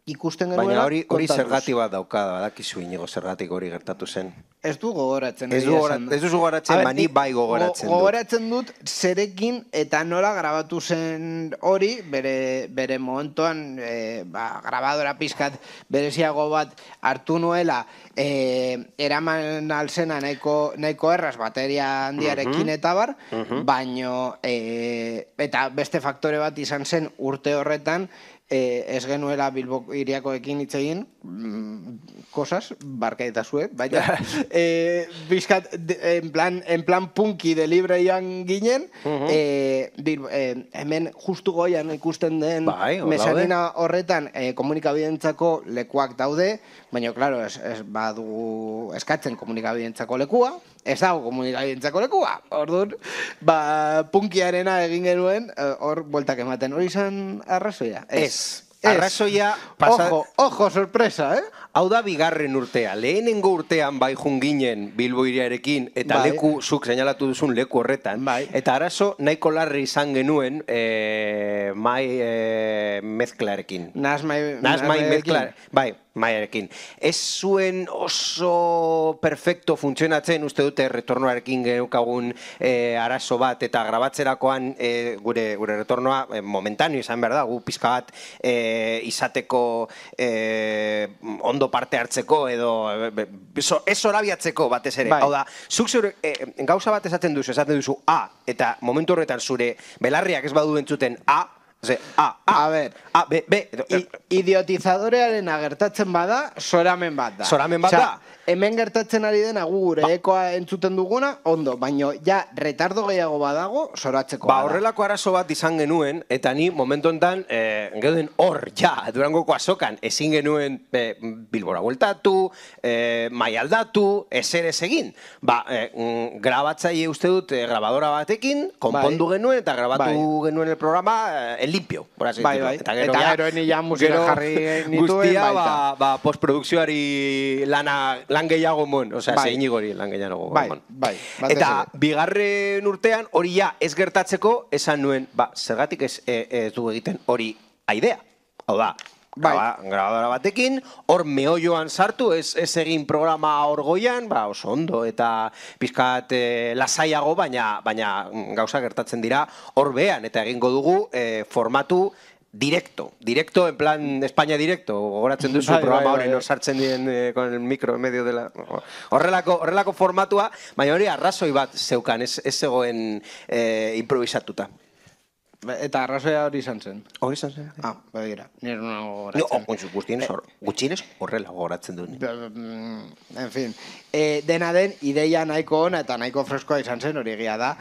ikusten genuela. Baina hori, hori zergati bat daukada, badakizu inigo zergatik hori gertatu zen. Ez du gogoratzen. Ez du gogoratzen, mani bai gogoratzen dut. Gogoratzen dut zerekin eta nola grabatu zen hori, bere, bere momentuan e, ba, grabadora pizkat bereziago bat hartu nuela, e, eraman alzena nahiko, nahiko erraz bateria handiarekin uh-huh. eta bar, uh-huh. baino e, eta beste faktore bat izan zen urte horretan, Eh, ez genuela Bilbo iriakoekin hitz egin, mm, cosas, barkaitazue, baina, eh, bizkat, en plan, en plan punki de libreian ginen, uh-huh. eh, bil, eh, hemen justu goian ikusten den bai, mesanina horretan eh, komunikabidentzako lekuak daude, baina, klaro, ez, ez badugu eskatzen komunikabidentzako lekua, ez dago komunikabidentzako lekua, orduan, ba, punkiarena egin genuen, hor, bueltak ematen, hori izan arrazoia? Ez. Arrazoia pasa... Ojo, ojo, sorpresa, eh? Hau da bigarren urtea. Lehenengo urtean bai junginen Bilbo iriarekin eta bai. leku, zuk seinalatu duzun leku horretan. Bai. Eta arazo nahiko larri izan genuen eh, mai eh, mezklarekin. Nas mai, Nas mai mezklar. Bai, maiarekin. Ez zuen oso perfecto funtzionatzen, uste dute retornoarekin geneukagun eh, arazo bat, eta grabatzerakoan eh, gure, gure retornoa eh, momentaneo izan behar da, gu pizka bat eh, izateko eh, ondo parte hartzeko edo ez zorabiatzeko batez ere. Bai. Hau da, zuk zure eh, gauza bat esaten duzu, esaten duzu A, eta momentu horretan zure belarriak ez badu entzuten A, A, A, A ber, A, B, B. idiotizadorearen agertatzen bada, soramen bat da. Soramen bat da? Hemen gertatzen ari dena gu gure ekoa entzuten duguna, ondo, baino ja retardo gehiago badago, soratzeko Ba, bada. horrelako arazo bat izan genuen, eta ni momentu enten, eh, geuden hor, ja, Durangoko azokan, ezin genuen eh, Bilbora bueltatu, eh, mai aldatu, ezer ez egin. Ba, eh, grabatzaile uste dut, eh, grabadora batekin, konpondu Bai. genuen, eta grabatu Bai. genuen el programa eh, en limpio, por así Bai, decirlo. bai. Eta gero, Eta ja, gero eni ja musika gero jarri nituen guztia, baita. ba, ba, postprodukzioari lana, lan gehiago mon, osea, Bai. zein igori lan gehiago Bai, mon. bai, batez Eta ere. bigarren urtean hori ja ez gertatzeko esan nuen, ba, zergatik ez, e, ez du egiten hori aidea. Hau da, Bai. graba- grabadora batekin, hor meolloan sartu, ez, ez egin programa hor goian, ba, oso ondo, eta pizkat e, lasaiago, baina, baina gauza gertatzen dira hor behan, eta egingo dugu e, formatu directo, directo en plan España directo, gogoratzen duzu Bai, programa bai, hori bai. nor sartzen dien eh, con el micro en medio de la... Horrelako, horrelako formatua, baina hori arrazoi bat zeukan, ez, ez zegoen eh, improvisatuta. Eta arrazoia hori izan zen. Hori izan zen? Ah, begira, nire nago No, goratzen. oh, gutxienez, hor, gutxienez horrela gogoratzen duen. Mm, En fin, e, dena den, ideia nahiko ona eta nahiko freskoa izan zen, hori egia da.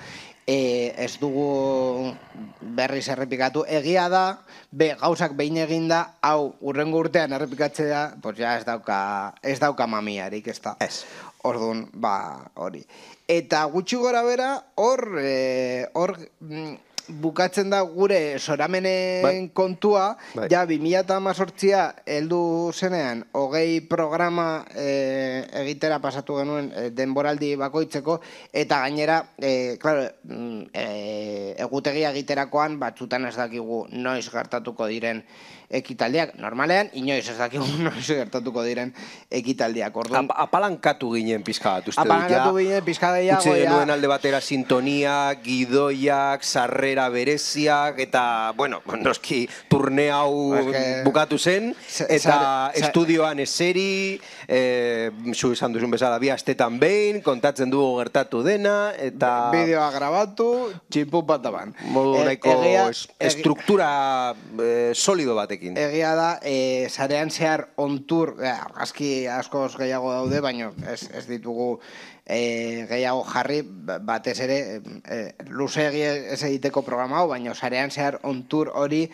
E, ez dugu berriz errepikatu. Egia da, be, gauzak behin eginda, hau, urrengo urtean errepikatzea, pues ja ez dauka, ez dauka mamiarik, ez da. Ez. Orduan, ba, hori. Eta gutxi gora bera, hor, e, hor, mm, bukatzen da gure soramenen Bai. kontua, Bai. ja bi mila hamazortzia heldu zenean, hogei programa e, egitera pasatu genuen e, denboraldi bakoitzeko, eta gainera, e, claro, mm, e, egutegia egiterakoan batzutan ez dakigu noiz gertatuko diren ekitaldiak. Normalean, inoiz ez dakigu noiz gertatuko diren ekitaldiak. Orduan, Ap apalankatu ginen pizka bat, uste dut, ja. apalankatu ginen pizka gehiago, Utzi ja. genuen alde batera sintonia, gidoiak, sarrera bereziak, eta, bueno, noski turne hau Es que- bukatu zen, Sa- eta sare- sa- estudioan eseri, eh, zu esan duzun bezala, bi astetan behin, kontatzen dugu gertatu dena, eta Bideoa grabatu, txipu bataban. modu E- nahiko egia- es- egi- estruktura eh, solido batekin. Egia da, e, sarean zehar ontur, e, argazki askoz gehiago daude, baina ez, ez ditugu e, gehiago jarri, ba- batez ere, e, luzeegi ez egiteko programa hau, baina sarean zehar ontur hori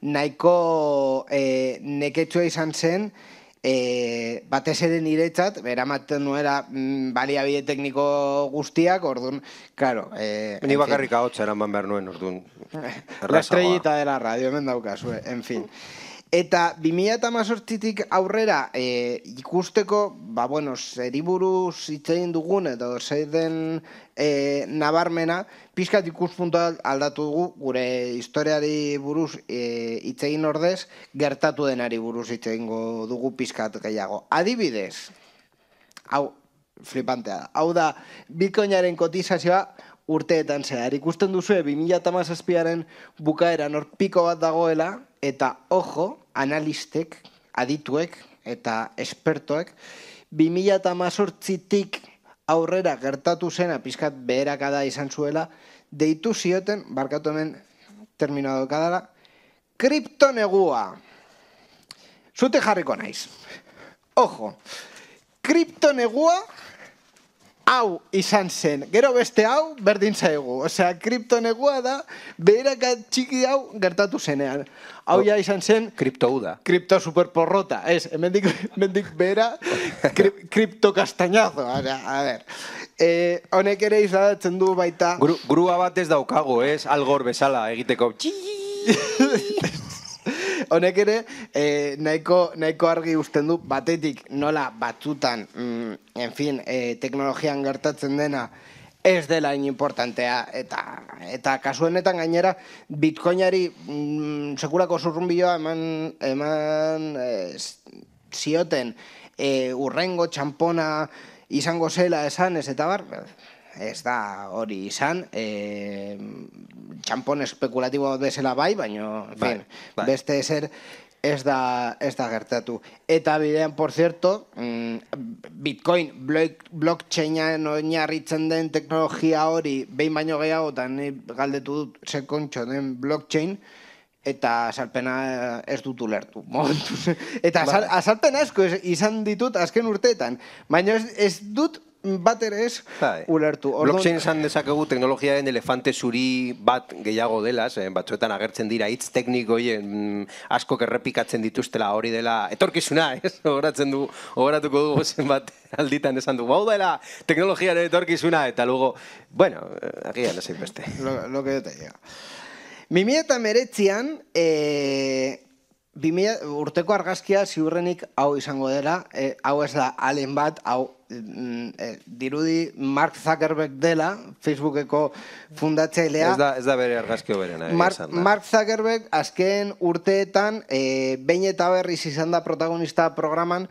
nahiko e, neketsua izan zen, e, batez ere niretzat, beramaten nuera mm, baliabide tekniko guztiak, orduan, claro. E, Ni en fin. bakarrik ahotsa eraman behar nuen, orduan. La estrellita de la radio, hemen daukazue, en fin. Eta bi mila hamazortzitik aurrera e, ikusteko, ba, bueno, zeri buruz hitz egin dugun, edo zer den e, nabarmena, pizkat ikuspuntua aldatu dugu, gure historiari buruz e, hitz egin ordez, gertatu denari buruz hitz egingo dugu pizkat gehiago. Adibidez, hau, flipantea da. Hau da, bitcoinaren kotizazioa urteetan zehar. Ikusten duzue, bi mila hamazazpiaren bukaeran hor piko bat dagoela, eta ojo, analistek, adituek eta espertoek, bi mila hamazortzitik aurrera gertatu zena, pizkat beherakada izan zuela, deitu zioten, barkatu hemen terminoa daukadala, kriptonegua. Zute jarriko naiz. Ojo, kriptonegua hau izan zen, gero beste hau berdin zaigu. Osea, kriptonegua da beheraka txiki hau gertatu zenean. Hau ja izan zen Kriptouda. kripto superporrota. Ez, hemendik, hemendik behera krip, kripto kastañazo. A ver, eh, honek ere izadatzen du baita... Gru, grua bat ez daukago, ez? Algor bezala egiteko. Honek ere, eh, nahiko, nahiko argi usten du, batetik nola batzutan, mm, en fin, eh, teknologian gertatzen dena, ez dela hain importantea, eta, eta kasuenetan gainera, bitcoinari mm, sekulako zurrunbioa eman, eman eh, zioten eh, urrengo txampona izango zela esan, ez eta bar, ez da hori izan, e, txampon espekulatibo bezala bai, baina, en fin, Bai, bai. beste ezer ez da, ez da gertatu. Eta bidean, por cierto, Bitcoin, blockchainan oinarritzen den teknologia hori, behin baino gehiago, eta ni galdetu dut ze kontxo den blockchain, eta azalpena ez dut ulertu. Eta azalpena asko izan ditut azken urteetan, baina ez dut bat ere ez ulertu. Blockchain esan dezakegu teknologiaren elefante zuri bat gehiago dela, batzuetan agertzen dira hitz teknikoien askok errepikatzen dituztela hori dela etorkizuna, ez? Horatzen du, horatuko dugu zenbat alditan esan du, hau dela teknologiaren etorkizuna, eta luego, bueno, agian ez beste. Lo que yo te digo. bi mila hemeretzian, urteko argazkia ziurrenik hau izango dela, hau ez da alen bat, hau dirudi Mark Zuckerberg dela, Facebookeko fundatzailea. Ez da bere argazkio berena. Mark Zuckerberg azken urteetan, behin eta berriz izan da protagonista programan,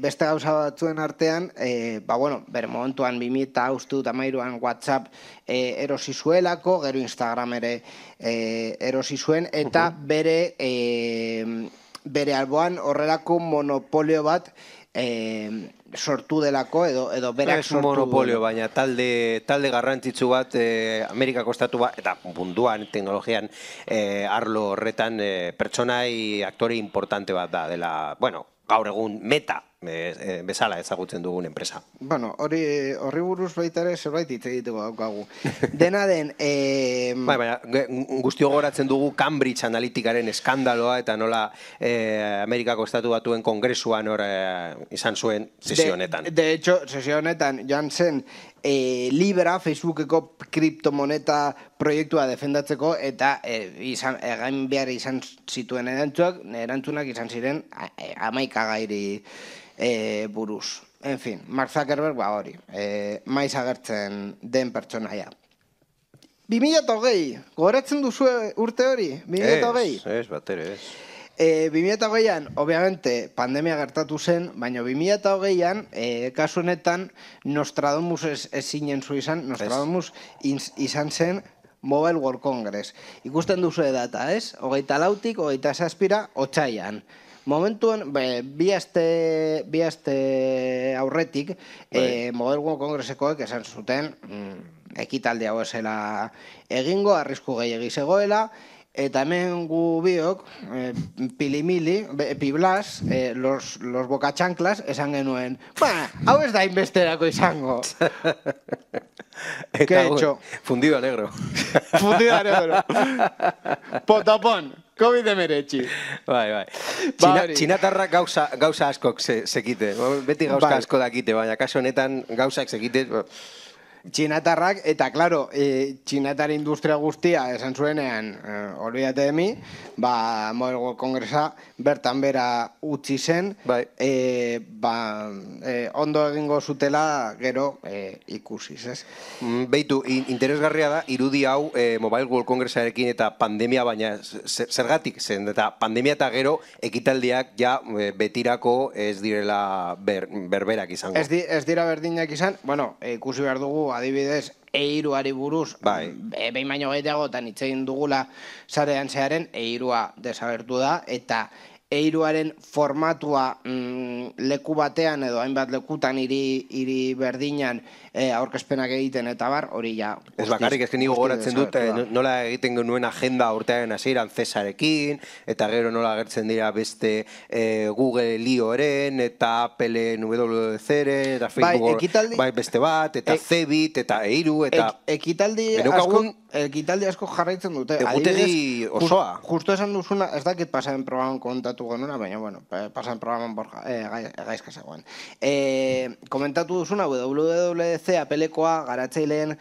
beste gauza batzuen artean, bere momentuan bi mila hamairuan WhatsApp erosi zuelako, gero Instagram ere erosi zuen, eta bere alboan horrelako monopolio bat sortu delako, edo berak sortu delako. Monopolio, baina talde garrantzitsu bat Amerikako estatu bat, eta munduan, teknologian, arlo horretan pertsonai aktore importante bat da, dela, bueno, gaur egun Meta bezala ezagutzen dugun enpresa. Bueno, horri buruz baita ere zerbait hitz egiteko daukagu. Dena den... Baina, guztio goratzen dugu Cambridge Analyticaren eskandaloa eta nola Amerikako estatu batuen kongresuan izan zuen sesio honetan. De hecho, sesio honetan joan zen Libra, Facebookeko kriptomoneta proiektua defendatzeko eta egin behar izan zituen erantzunak izan ziren hamaika gairi buruz. En fin, Mark Zuckerberg ba hori, maiz agertzen den pertsonaia. bi mila hogei, gogoratzen duzu urte hori? bi mila hogei? Ez, bat ere, ez. bi mila hogeian, obviamente, pandemia gertatu zen, baina bi mila hogeian, kasu honetan, Nostradamus ez zinen zu izan, Nostradamus izan zen Mobile World Congress. Ikusten duzu data, ez? Hogeita lautik, hogeita zazpira, otsaian. Momentuan, bi aste aurretik, Mobile World Congressekoek esan zuten ekitaldi hau esela egingo, arrisku gehiegi zegoela, eta hemen gu biok, pilimili, piblas, los bokatxanklas, esan genuen, ba, hau ez da inbesterako izango. ¿Qué he hecho? Fundido a negro. Fundido a negro. Potapón. COVID hemeretzi. Bai, bai. Txinatarrak gauza askok sekite. Beti gauza asko dakite, baina kaso honetan gauzak sekite. Txinatarrak, eta klaro, txinatar industria guztia esan zuenean, olvidate de mi, ba, Mobile World Congressa bertan bera utzi zen, ondo egingo zutela gero ikusiz, ez? Beitu, interesgarria da, irudi hau Mobile World Congressarekin eta pandemia, baina zergatik zen, eta pandemia eta gero ekitaldiak ja betirako ez direla berberak izango. Ez dira berdinak izan, bueno, ikusi behar dugu, adibidez, eiruari buruz, behin baino gehiagotan hitz egin dugula sarean zearen, eirua desagertu da, eta eiruaren formatua leku batean edo hainbat lekutan hiri berdinan aurkezpenak egiten eta bar, hori ja... Ez bakarrik, ez nigo goratzen dut, nola egiten genuen agenda urtearen hasieran Cesarekin, eta gero nola agertzen dira beste Google Lioren, eta Apple W W C-ren, eta Facebook beste bat, eta Cebit, eta eiru, eta... Ekitaldi asko jarraitzen dute. Egutegi osoa. Justo esan duzuna, ez dakit pasaren programan komentatu genuna, baina, bueno, pasaren programan gaizka zegoen. Komentatu duzuna, W W C Applekoa garatzaileen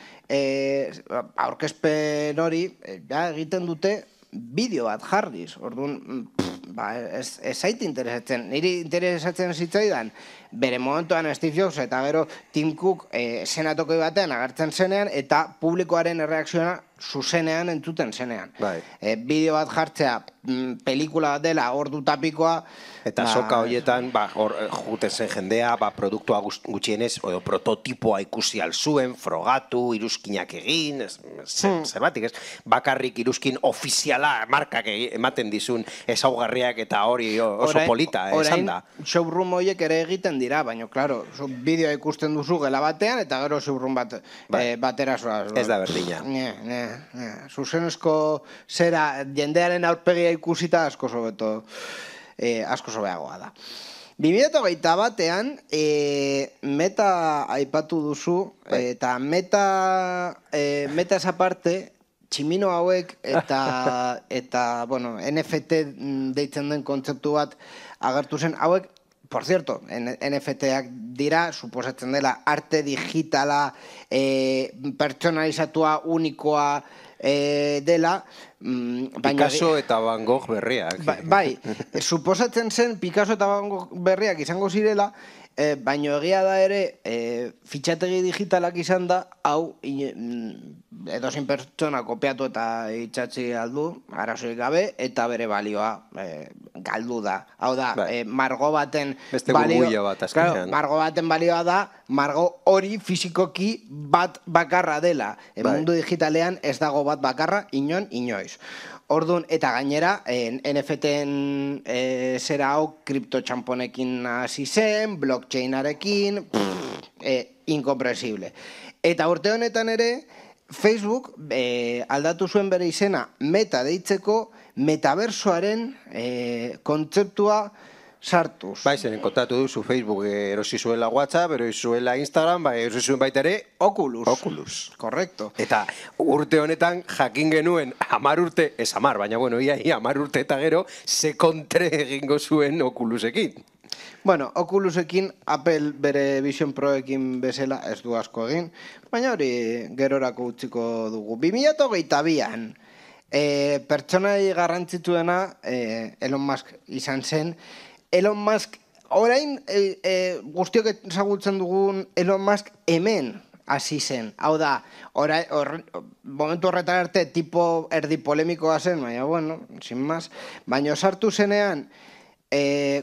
aurkezpen hori, egiten dute bideo bat jarriz. Orduan, ez zait interesatzen. Niri interesatzen zitzaidan, bere momentuan Steve Jobs eta gero Tim Cook senatokoi batean agertzen zenean eta publikoaren erreakzioa zuzenean entzuten zenean. Bideo bat jartzea pelikula bat dela ordu tapikoa. Eta soka horietan, juten zen jendea, produktua gutxienez, edo prototipoa ikusi alzuen, frogatu, iruzkinak egin, zerbatik ez, bakarrik iruzkin ofiziala markak ematen dizun ezaugarriak eta hori oso polita, esan da. Orain, showroom horiek ere egiten dira, baina, klaro, bideoa ikusten duzu gela batean, eta gero showroom batera zoaz. Ez da berdina. Zuzenezko zera jendearen aurpegia ikusita asko sobeto. Eh, asko sobeagoa da. bi mila hogeita batean meta aipatu duzu, eta meta meta esa parte, tximino hauek eta, eta bueno, N F T deitzen den kontzeptu bat agertu zen, hauek, por cierto, N F T-ak dira, suposatzen dela, arte digitala, pertsonalizatua, unikoa, dela, Picasso eta Van Gogh berriak. Bai, suposatzen zen Picasso eta Van Gogh berriak izango zirela, baina egia da ere fitxategi digitalak izan da, hau edozein pertsona kopiatu eta itxatzi aldu, arazoik gabe, eta bere balioa galdu da. Hau da, margo baten margo baten balioa da, margo hori fizikoki bat bakarra dela. Mundu digitalean ez dago bat bakarra, inon, inoiz. Orduan, eta gainera, N F T-en zera hau kriptotxamponekin hasi zen, blockchainarekin, inkompresible. Eta urte honetan ere, Facebook aldatu zuen bere izena meta deitzeko metaversoaren kontzeptua sartuz. Bai, zeren kontatu duzu Facebook erosi zuela WhatsApp, erosi zuela Instagram, bai, erosi zuen baita ere Oculus. Oculus. Korrekto. Eta urte honetan jakin genuen hamar urte, ez hamar, baina bueno, ia, ia hamar urte eta gero, ze kontre egingo zuen Oculusekin. Bueno, Oculusekin Apple bere Vision Proekin bezala ez du asko egin, baina hori gerorako utziko dugu. bi mila hogeita bian, pertsonai garrantzituena Elon Musk izan zen. Elon Musk, orain guztiok ezagutzen dugun Elon Musk hemen hasi zen. Hau da, momentu horretan arte tipo erdi polemikoa zen, baina, bueno, sin más, baina sartu zenean,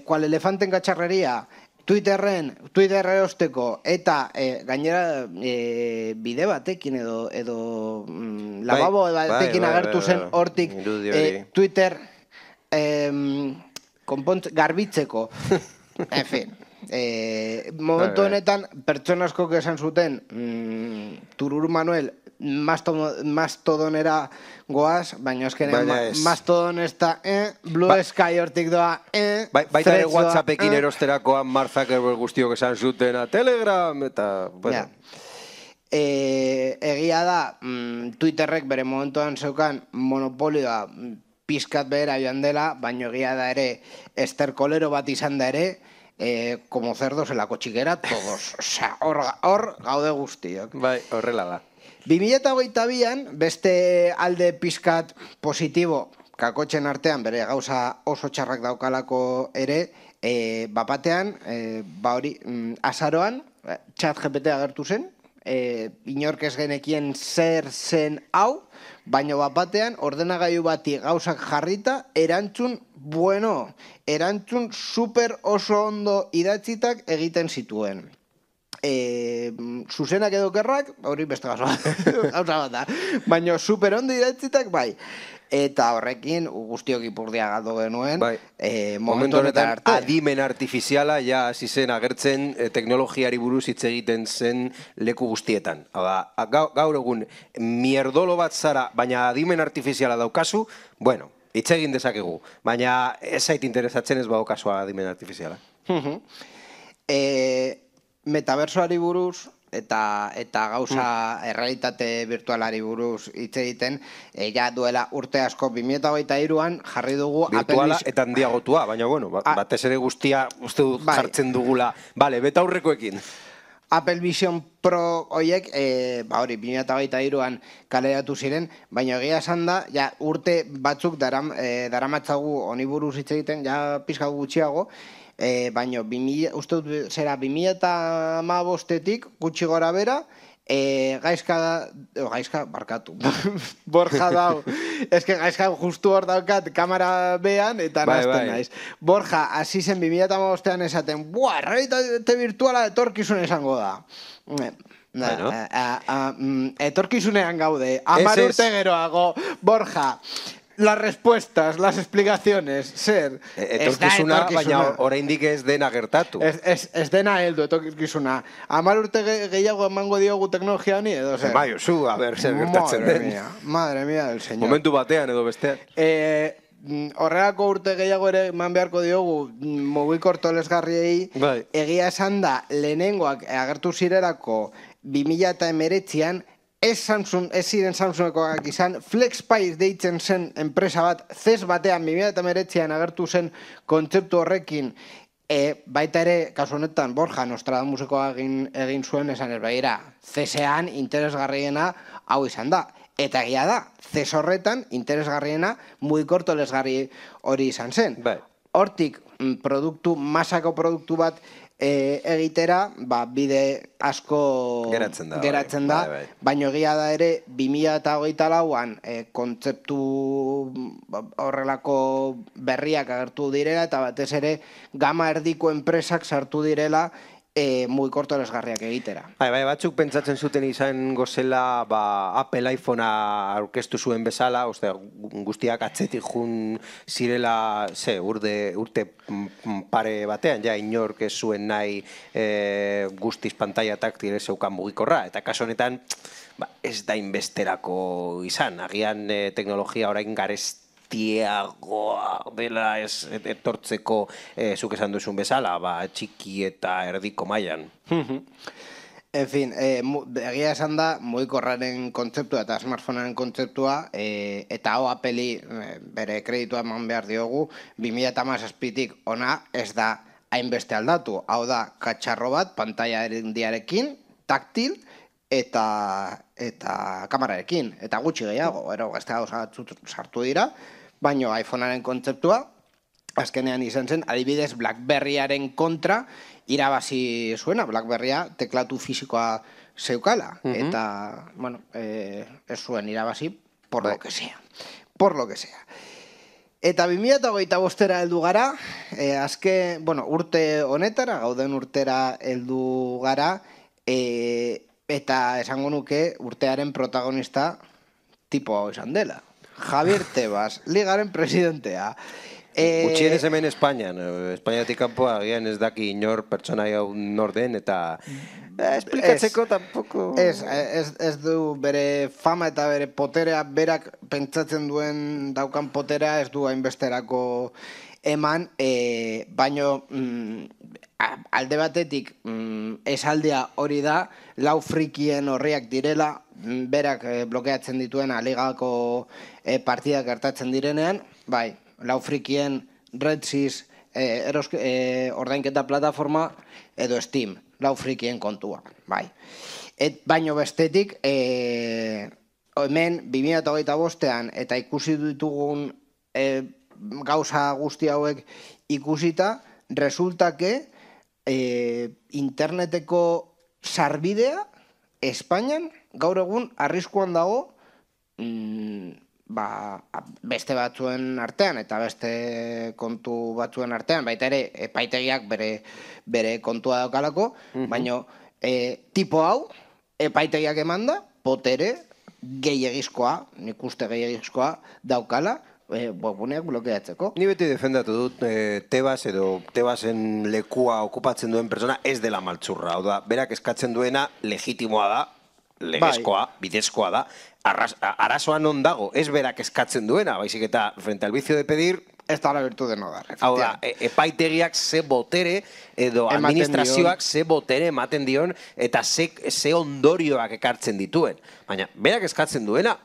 kual elefanten gatxarreria, Twitterren, Twitter erosteko, eta gainera bide batekin edo lababo batekin agertu zen hortik Twitter garbitzeko. En fin, momentu honetan pertsona askok esan zuten Tururu Manuel mastodonera goaz, baina eskenean mastodon ez da Blue Sky hortik doa baita ere WhatsAppekin erosterakoan Mark Zuckerberg guztiok esan zuten a Telegram eta egia da Twitterrek bere momentuan zeukan monopolioa pizkat behera joan dela, baina egia da ere esterkolero bat izan da ere, como cerdos en la cochiguera, todos. Osea, hor gaude guztiok. Bai, horrela da. bi mila hogeita bian, beste alde pizkat positibo, kakotxen artean, bere gauza oso txarrak daukalako ere, bapatean, ba hori, azaroan, chat G P T agertu zen, inork ez genekien zer zen hau, baina bapatean ordenagailu bati gauzak jarrita, erantzun, bueno, erantzun super oso ondo idatzitak egiten zituen. Zuzenak edo kerrak, hori beste gauza bat da, baina super ondo idatzitak bai. Eta horrekin guztiok ipurdia galdu genuen momentu honetan arte. Adimen artifiziala ja hasi zen agertzen teknologiari buruz hitz egiten zen leku guztietan. Gaur egun mierdolo bat zara, baina adimen artifiziala daukazu, bueno, hitz egin dezakegu, baina ez zait interesatzen ez badokazua adimen artifiziala. Metaversoari buruz eta gauza errealitate virtualari buruz hitz egiten, ja duela urte asko bi mila hogeita hiruan jarri dugu virtuala eta handiagotua, baina bueno, batez ere guztia uste dut jartzen dugula. Bale, beta aurrekoekin. Apple Vision Pro horiek, ba hori, bi mila hogeita hiruan kaleratu ziren, baina egia esan da, ja urte batzuk daramatzagu honi buruz hitz egiten, ja pizka gutxiago, baina uste dut zera bi mila hamabostetik gutxi gora bera, E, gaizka da, o, gaizka, barkatu, Borja dau, eske gaizka justu hor daukat kamera bean, eta bai, nazten bai. naiz. Borja, hasi zen bi mila hamabostean esaten, buah, errealitate virtuala etorkizun esango da. Bueno. A, a, a, mm, etorkizunean gaude, hamar Ez, ez. urte geroago, Borja, las respuestas, las explicaciones, zer. Etorkizuna, baina oraindik ez dena gertatu. Ez, ez, ez dena heldu etorkizuna. Hamar urte ge gehiago emango diogu teknologia honi, edo zer? Bai, zu, a ber, zer gertatzen Madre den. mía, madre mía del señor. Momentu batean edo bestean. Eh, horrelako urte gehiago ere eman beharko diogu mugikor tolesgarriei, Bai. egia esan da lehenengoak agertu zirelako bi mila hemeretzian, ez Samsung, ez ziren Samsungekoak izan, FlexPay deitzen zen enpresa bat, zez batean bi mila hemeretzian agertu zen kontzeptu horrekin, e, baita ere, kasu honetan, Borja Nostradamusekoa egin, egin zuen esan ez begira, zesean interesgarriena hau izan da. Eta egia da, zez horretan interesgarriena mugikor tolesgarri hori izan zen. Bai. Hortik, produktu, masako produktu bat E, egitera, ba, bide asko Geratzen da, geratzen da, bai, bai. baina egia da ere bi mila hogeita lauan e, kontzeptu horrelako berriak agertu direla eta batez ere gama erdiko enpresak sartu direla e, mugikor tolesgarriak egitera. Bai, bai, batzuk pentsatzen zuten izan gozela ba, Apple iPhonea aurkeztu zuen bezala, oste, guztiak atzetik jun zirela, ze, urde, urte pare batean, ja, inork ez zuen nahi e, guztiz pantalla taktil zeukan mugikorra, eta kaso honetan ba, ez da inbesterako izan, agian e, teknologia orain garez tiagoa dela ez etortzeko eh, zuk esan duzun bezala, ba, txiki eta erdiko mailan. En fin, eh, egia esan da, mugikorraren kontzeptua eta smartphonearen kontzeptua, eh, eta hau Appleri eh, bere kreditua eman behar diogu, bi mila hamazazpitik ona ez da hainbeste aldatu. Hau da, katxarro bat, pantalla erdiarekin, taktil, eta eta kamerarekin, eta gutxi gehiago, ero gazte hau sartu dira, baino iPhonearen kontzeptua, azkenean izan zen, adibidez BlackBerryaren kontra irabazi zuena, BlackBerrya teklatu fisikoa zeukala, eta, bueno, eh, ez zuen irabazi, por lo que sea, por lo que sea. Eta bi mila hogeita bostera heldu gara, eh, azke, bueno, urte honetara, gauden urtera heldu gara, eh, eta esango nuke urtearen protagonista tipo hau izan dela. Javier Tebas, ligaren presidentea. Eh, Gutxienez hemen Espainian, Espainiatik kanpoa agian ez daki inor pertsona hau nor den, eta eh, esplikatzeko tampoco... Ez, ez, ez du bere fama eta bere poterea, berak pentsatzen duen daukan poterea ez du hainbesterako eman, eh, baino mm, alde batetik mm, esaldia hori da, lau frikien horriak direla, berak eh, blokeatzen dituen aligako eh, partidak gertatzen direnean, bai, lau frikien RedSys eh, eroske, eh, ordainketa plataforma edo Steam, lau frikien kontua, bai. Et, baino bestetik, eh, hemen bi mila hogeita bostean eta ikusi ditugun eh, gauza guzti hauek ikusita, resulta que eh, interneteko sarbidea Espainian gaur egun arriskuan dago mm, ba, beste batzuen artean eta beste kontu batzuen artean, baita ere epaitegiak bere, bere kontua daukalako, uh-huh. baina e, tipo hau epaitegiak emanda, potere gehiagizkoa, nik uste gehiagizkoa daukala, e, webuneak blokeatzeko. Ni beti defendatu dut e, Tebas edo Tebasen lekua okupatzen duen persona ez dela maltzurra, hau da, berak eskatzen duena legitimoa da, legezkoa, bai. Bidezkoa da, Arras, arazoa non dago, ez berak eskatzen duena, baizik eta frente al vicio de pedir, ez da la virtud de no dar. Hau da, e, epaitegiak ze botere edo ematen administrazioak dion. Ze botere ematen dion eta ze, ze ondorioak ekartzen dituen. Baina, berak eskatzen duena,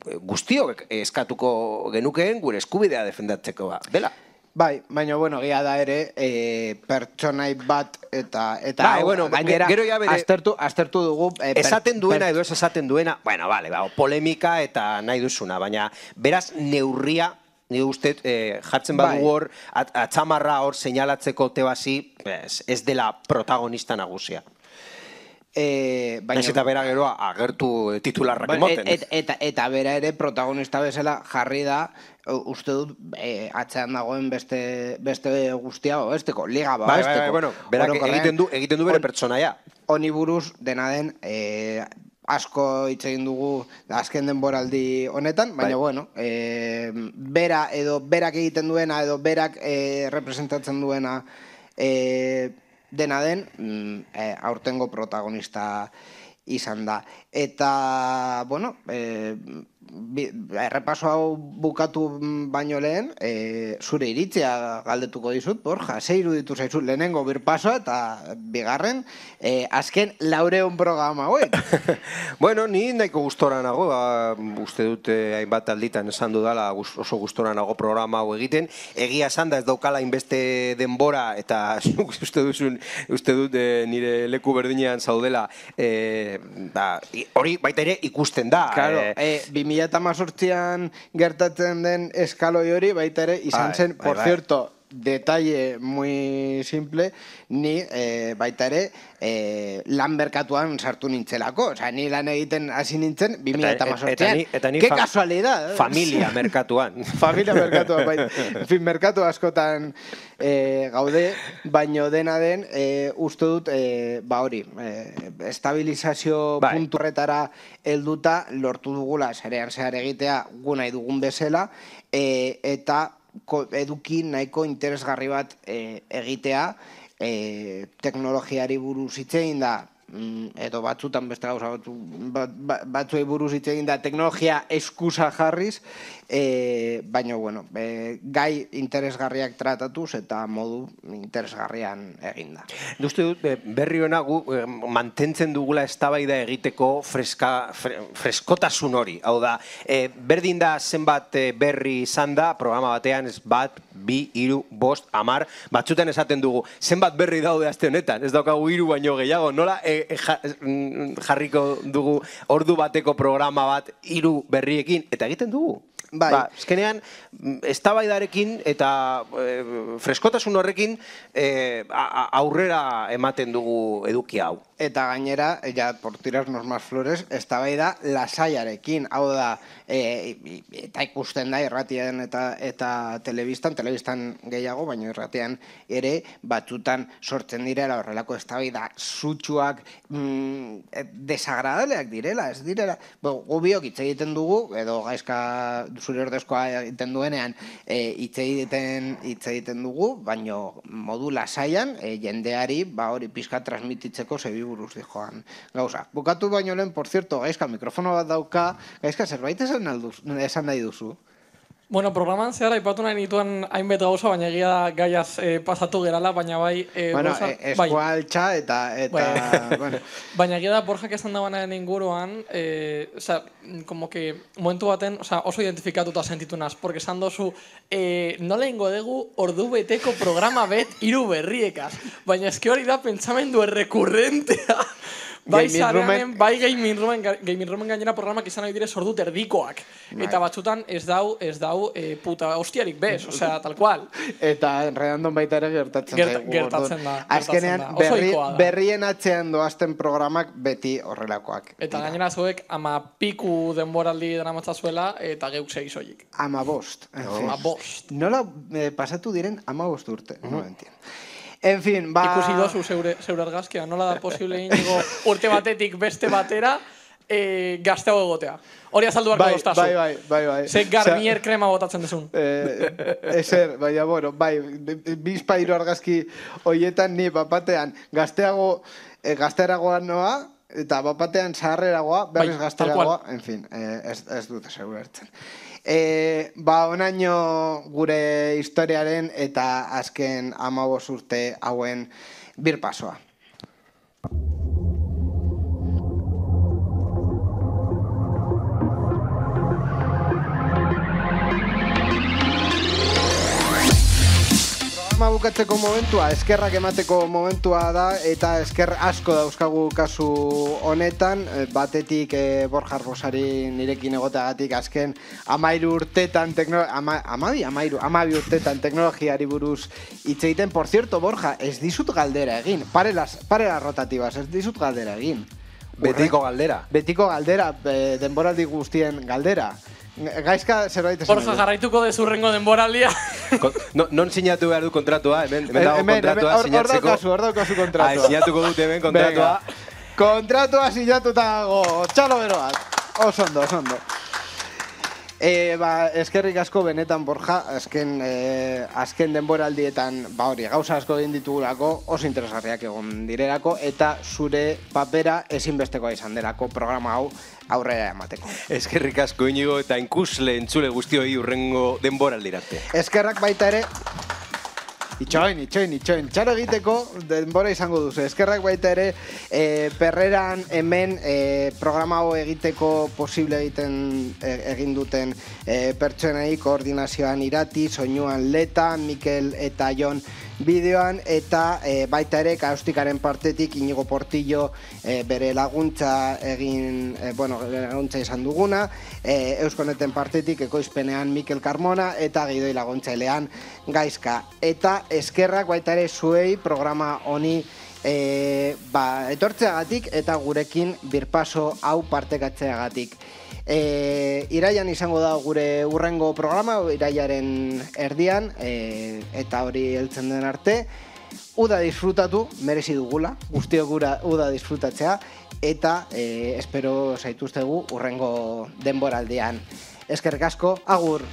guztiok eskatuko genukeen gure eskubidea defendatzeko ba. Dela. Bai, baina, bueno, gira da ere, e, pertsonai bat eta... eta bai, bueno, gainera, gero ja bere... Aztertu, aztertu dugu... E, per, esaten duena per... edo ez esaten duena, bueno, vale, ba, polemika eta nahi duzuna, baina beraz neurria, nire uste, eh, jartzen badugu hor, at, atzamarra hor seinalatzeko Tebasi, ez dela protagonista nagusia. E, baina, Naiz eta bera geroa agertu titularrak emoten. Et, et, eta, eta bera ere protagonista bezala jarri da, uste dut e, atzean dagoen beste, beste guztia besteko, liga ba, bai, besteko. Bai, bai, bueno, berak egiten du, egiten du bere pertsonaia. Honi buruz dena den, e, asko hitz egin dugu azken denboraldi honetan, baina bai. bueno, e, bera edo berak egiten duena edo berak e, representatzen duena e, dena den e, aurtengo protagonista izan da. Eta, bueno, e, bi, errepaso hau bukatu baino lehen, e, zure iritzia galdetuko dizut, Borja, ze iruditu zaizu lehenengo birpasoa eta bigarren, e, azken laureun programa hauek. Bueno, ni nahiko gustora nago, ba, uste dute hainbat alditan esan dudala oso gustora nago programa hau egiten, egia esan da ez daukala inbeste denbora, eta uste duzun, uste dut e, nire leku berdinean zaudela, e, da, hori baita ere ikusten da. Claro, e, bi mila hemezortzian gertatzen den eskaloi hori baita ere izan zen, bai, bai, por bai. cierto, detalle muy simple, ni eh, baita ere eh, lan merkatuan sartu nintzelako. Osa, ni lan egiten hasi nintzen bi mila hemezortzian. Ke kasualidad. Familia merkatuan. Familia merkatuan, baita. En fin, merkatu askotan eh, gaude, baino dena den, eh, uste dut, eh, ba hori, eh, estabilizazio bai. puntu horretara helduta lortu dugula zerean zehar egitea gu nahi dugun bezala, eh, eta eduki nahiko interesgarri bat e, egitea, e, teknologiari buruz hitz egin da, edo batzutan beste gauza batzu, bat, batzuei buruz hitz egin da, teknologia eskusa jarriz, e, baina, bueno, e, gai interesgarriak tratatuz eta modu interesgarrian egin da. Uste dut, berri hona gu mantentzen dugula eztabaida egiteko freska, fre, freskotasun hori. Hau da, e, berdin da zenbat berri izan da, programa batean ez bat, bi, hiru, bost, hamar, batzutan esaten dugu, zenbat berri daude aste honetan, ez daukagu hiru baino gehiago, nola e, e, jarriko dugu ordu bateko programa bat hiru berriekin, eta egiten dugu. Bai. Ba, ezkenean, eztabaidarekin eta e, freskotasun horrekin e, aurrera ematen dugu eduki hau. Eta gainera, ja, por tirarnos más flores, eztabaida lasaiarekin. Hau da, e, eta ikusten da irratian eta, eta telebistan, telebistan gehiago, baina irratian ere batzutan sortzen direla horrelako eztabaida sutsuak, mm, desagradableak direla, ez direla. Gubiok hitz egiten dugu, edo gaizka zure ordezkoa egiten duenean hitz egiten hitz egiten dugu, baina modu lasaian e, jendeari ba hori pizka transmititzeko zebi buruz dijoan gauza. Bukatu baino lehen, por cierto, Gaizka mikrofono bat dauka, Gaizka zerbait esan, alduz, esan nahi duzu? Bueno, programan zehar aipatu nahi nituen hainbet gauza, baina egia da gaiaz eh, pasatu gerala, baina bai... Eh, bueno, Borja, eh, eskualtxa bai. eta... eta bai. bueno. Baina egia da Borjak esan dagoenaren inguruan, eh, o sea, como que momentu baten, o sea, oso identifikatuta sentitu naz, porque esan dozu, eh, nola ingo dugu ordu beteko programa bet hiru berriekaz, baina eski hori da pentsamendu errekurrentea. Bai zarean, bai gaming roomen, gaming roomen gainera programak izan nahi dire sordu terdikoak. Eta batzutan ez dau, ez dau e, puta hostiarik bez, osea, tal cual. Eta enredandon baita ere gertatzen Gert, zaigu. Gertatzen da. Azkenean, berri, berrien atzean doazten programak beti horrelakoak. Eta gainera zuek ama piku denboraldi dena matzazuela eta geuk segi soilik. Ama bost. Ama bost. Nola eh, pasatu diren ama bost urte, uh-huh. no entien. En fin, ba... Ikusi dozu zeure, zeure argazkia, nola da posible inigo urte batetik beste batera e, gazteago egotea. Hori azaldu barko bai, doztazu. Bai, bai, bai, bai. Ze Garnier krema botatzen dezun. Eh, ezer, baina, bueno, bai, bizpairu argazki hoietan ni bapatean gazteago, eh, gazteragoa noa, eta bapatean zaharreragoa, berriz bai, gazteragoa, en fin, eh, ez, ez dute seguertzen. E, ba, onaino gure historiaren eta azken hamabost urte hauen birpasoa. Programa programa bukatzeko momentua, eskerrak emateko momentua da, eta esker asko dauzkagu kasu honetan, batetik e, Borja Arbosari nirekin egoteagatik azken amairu urtetan, ama, amabi, amairu, amabi urtetan teknologiari buruz hitz egiten. Por cierto, Borja, ez dizut galdera egin, pare las, pare las rotativas, ez dizut galdera egin. Betiko galdera. Betiko galdera, e, denboraldi guztien galdera. Gaizka zerbait esan. Borja, jarraituko dezurrengo denboraldia. No, non sinatu behar du kontratua, hemen, hemen dago kontratua sinatzeko. Hor daukazu, hor daukazu kontratua. Ai, sinatuko dut hemen kontratua. Kontratua sinatuta dago, txalo bero bat. Osondo, osondo. E, ba, eskerrik asko benetan, Borja, azken, e, azken denboraldietan, ba hori, gauza asko egin ditugulako, oso interesgarriak egon direlako, eta zure papera ezinbestekoa izan delako programa hau aurrera emateko. Eskerrik asko Inigo eta inkusle entzule guztioi urrengo denboraldirarte. Eskerrak baita ere, itxoin, itxoin, itxoin, txaro egiteko denbora izango duzu. Eskerrak baita ere, e, perreran hemen e, programa hau egiteko posible egiten e, egin duten e, pertsonei, koordinazioan Irati, soinuan Leta, Mikel eta Jon bideoan, eta e, baita ere Kaustikaren partetik Inigo Portillo e, bere laguntza egin, e, bueno, laguntza izan duguna, e, Euskoneten partetik ekoizpenean Mikel Carmona eta Gidoi laguntzailean Gaizka. Eta eskerrak baita ere zuei programa honi e, ba, etortzeagatik eta gurekin birpaso hau partekatzeagatik. E, iraian izango da gure urrengo programa, iraiaren erdian, e, eta hori heltzen den arte. Uda disfrutatu, merezi dugula, guztiok gura uda disfrutatzea, eta e, espero zaituztegu urrengo denboraldian. Eskerrik asko, agur!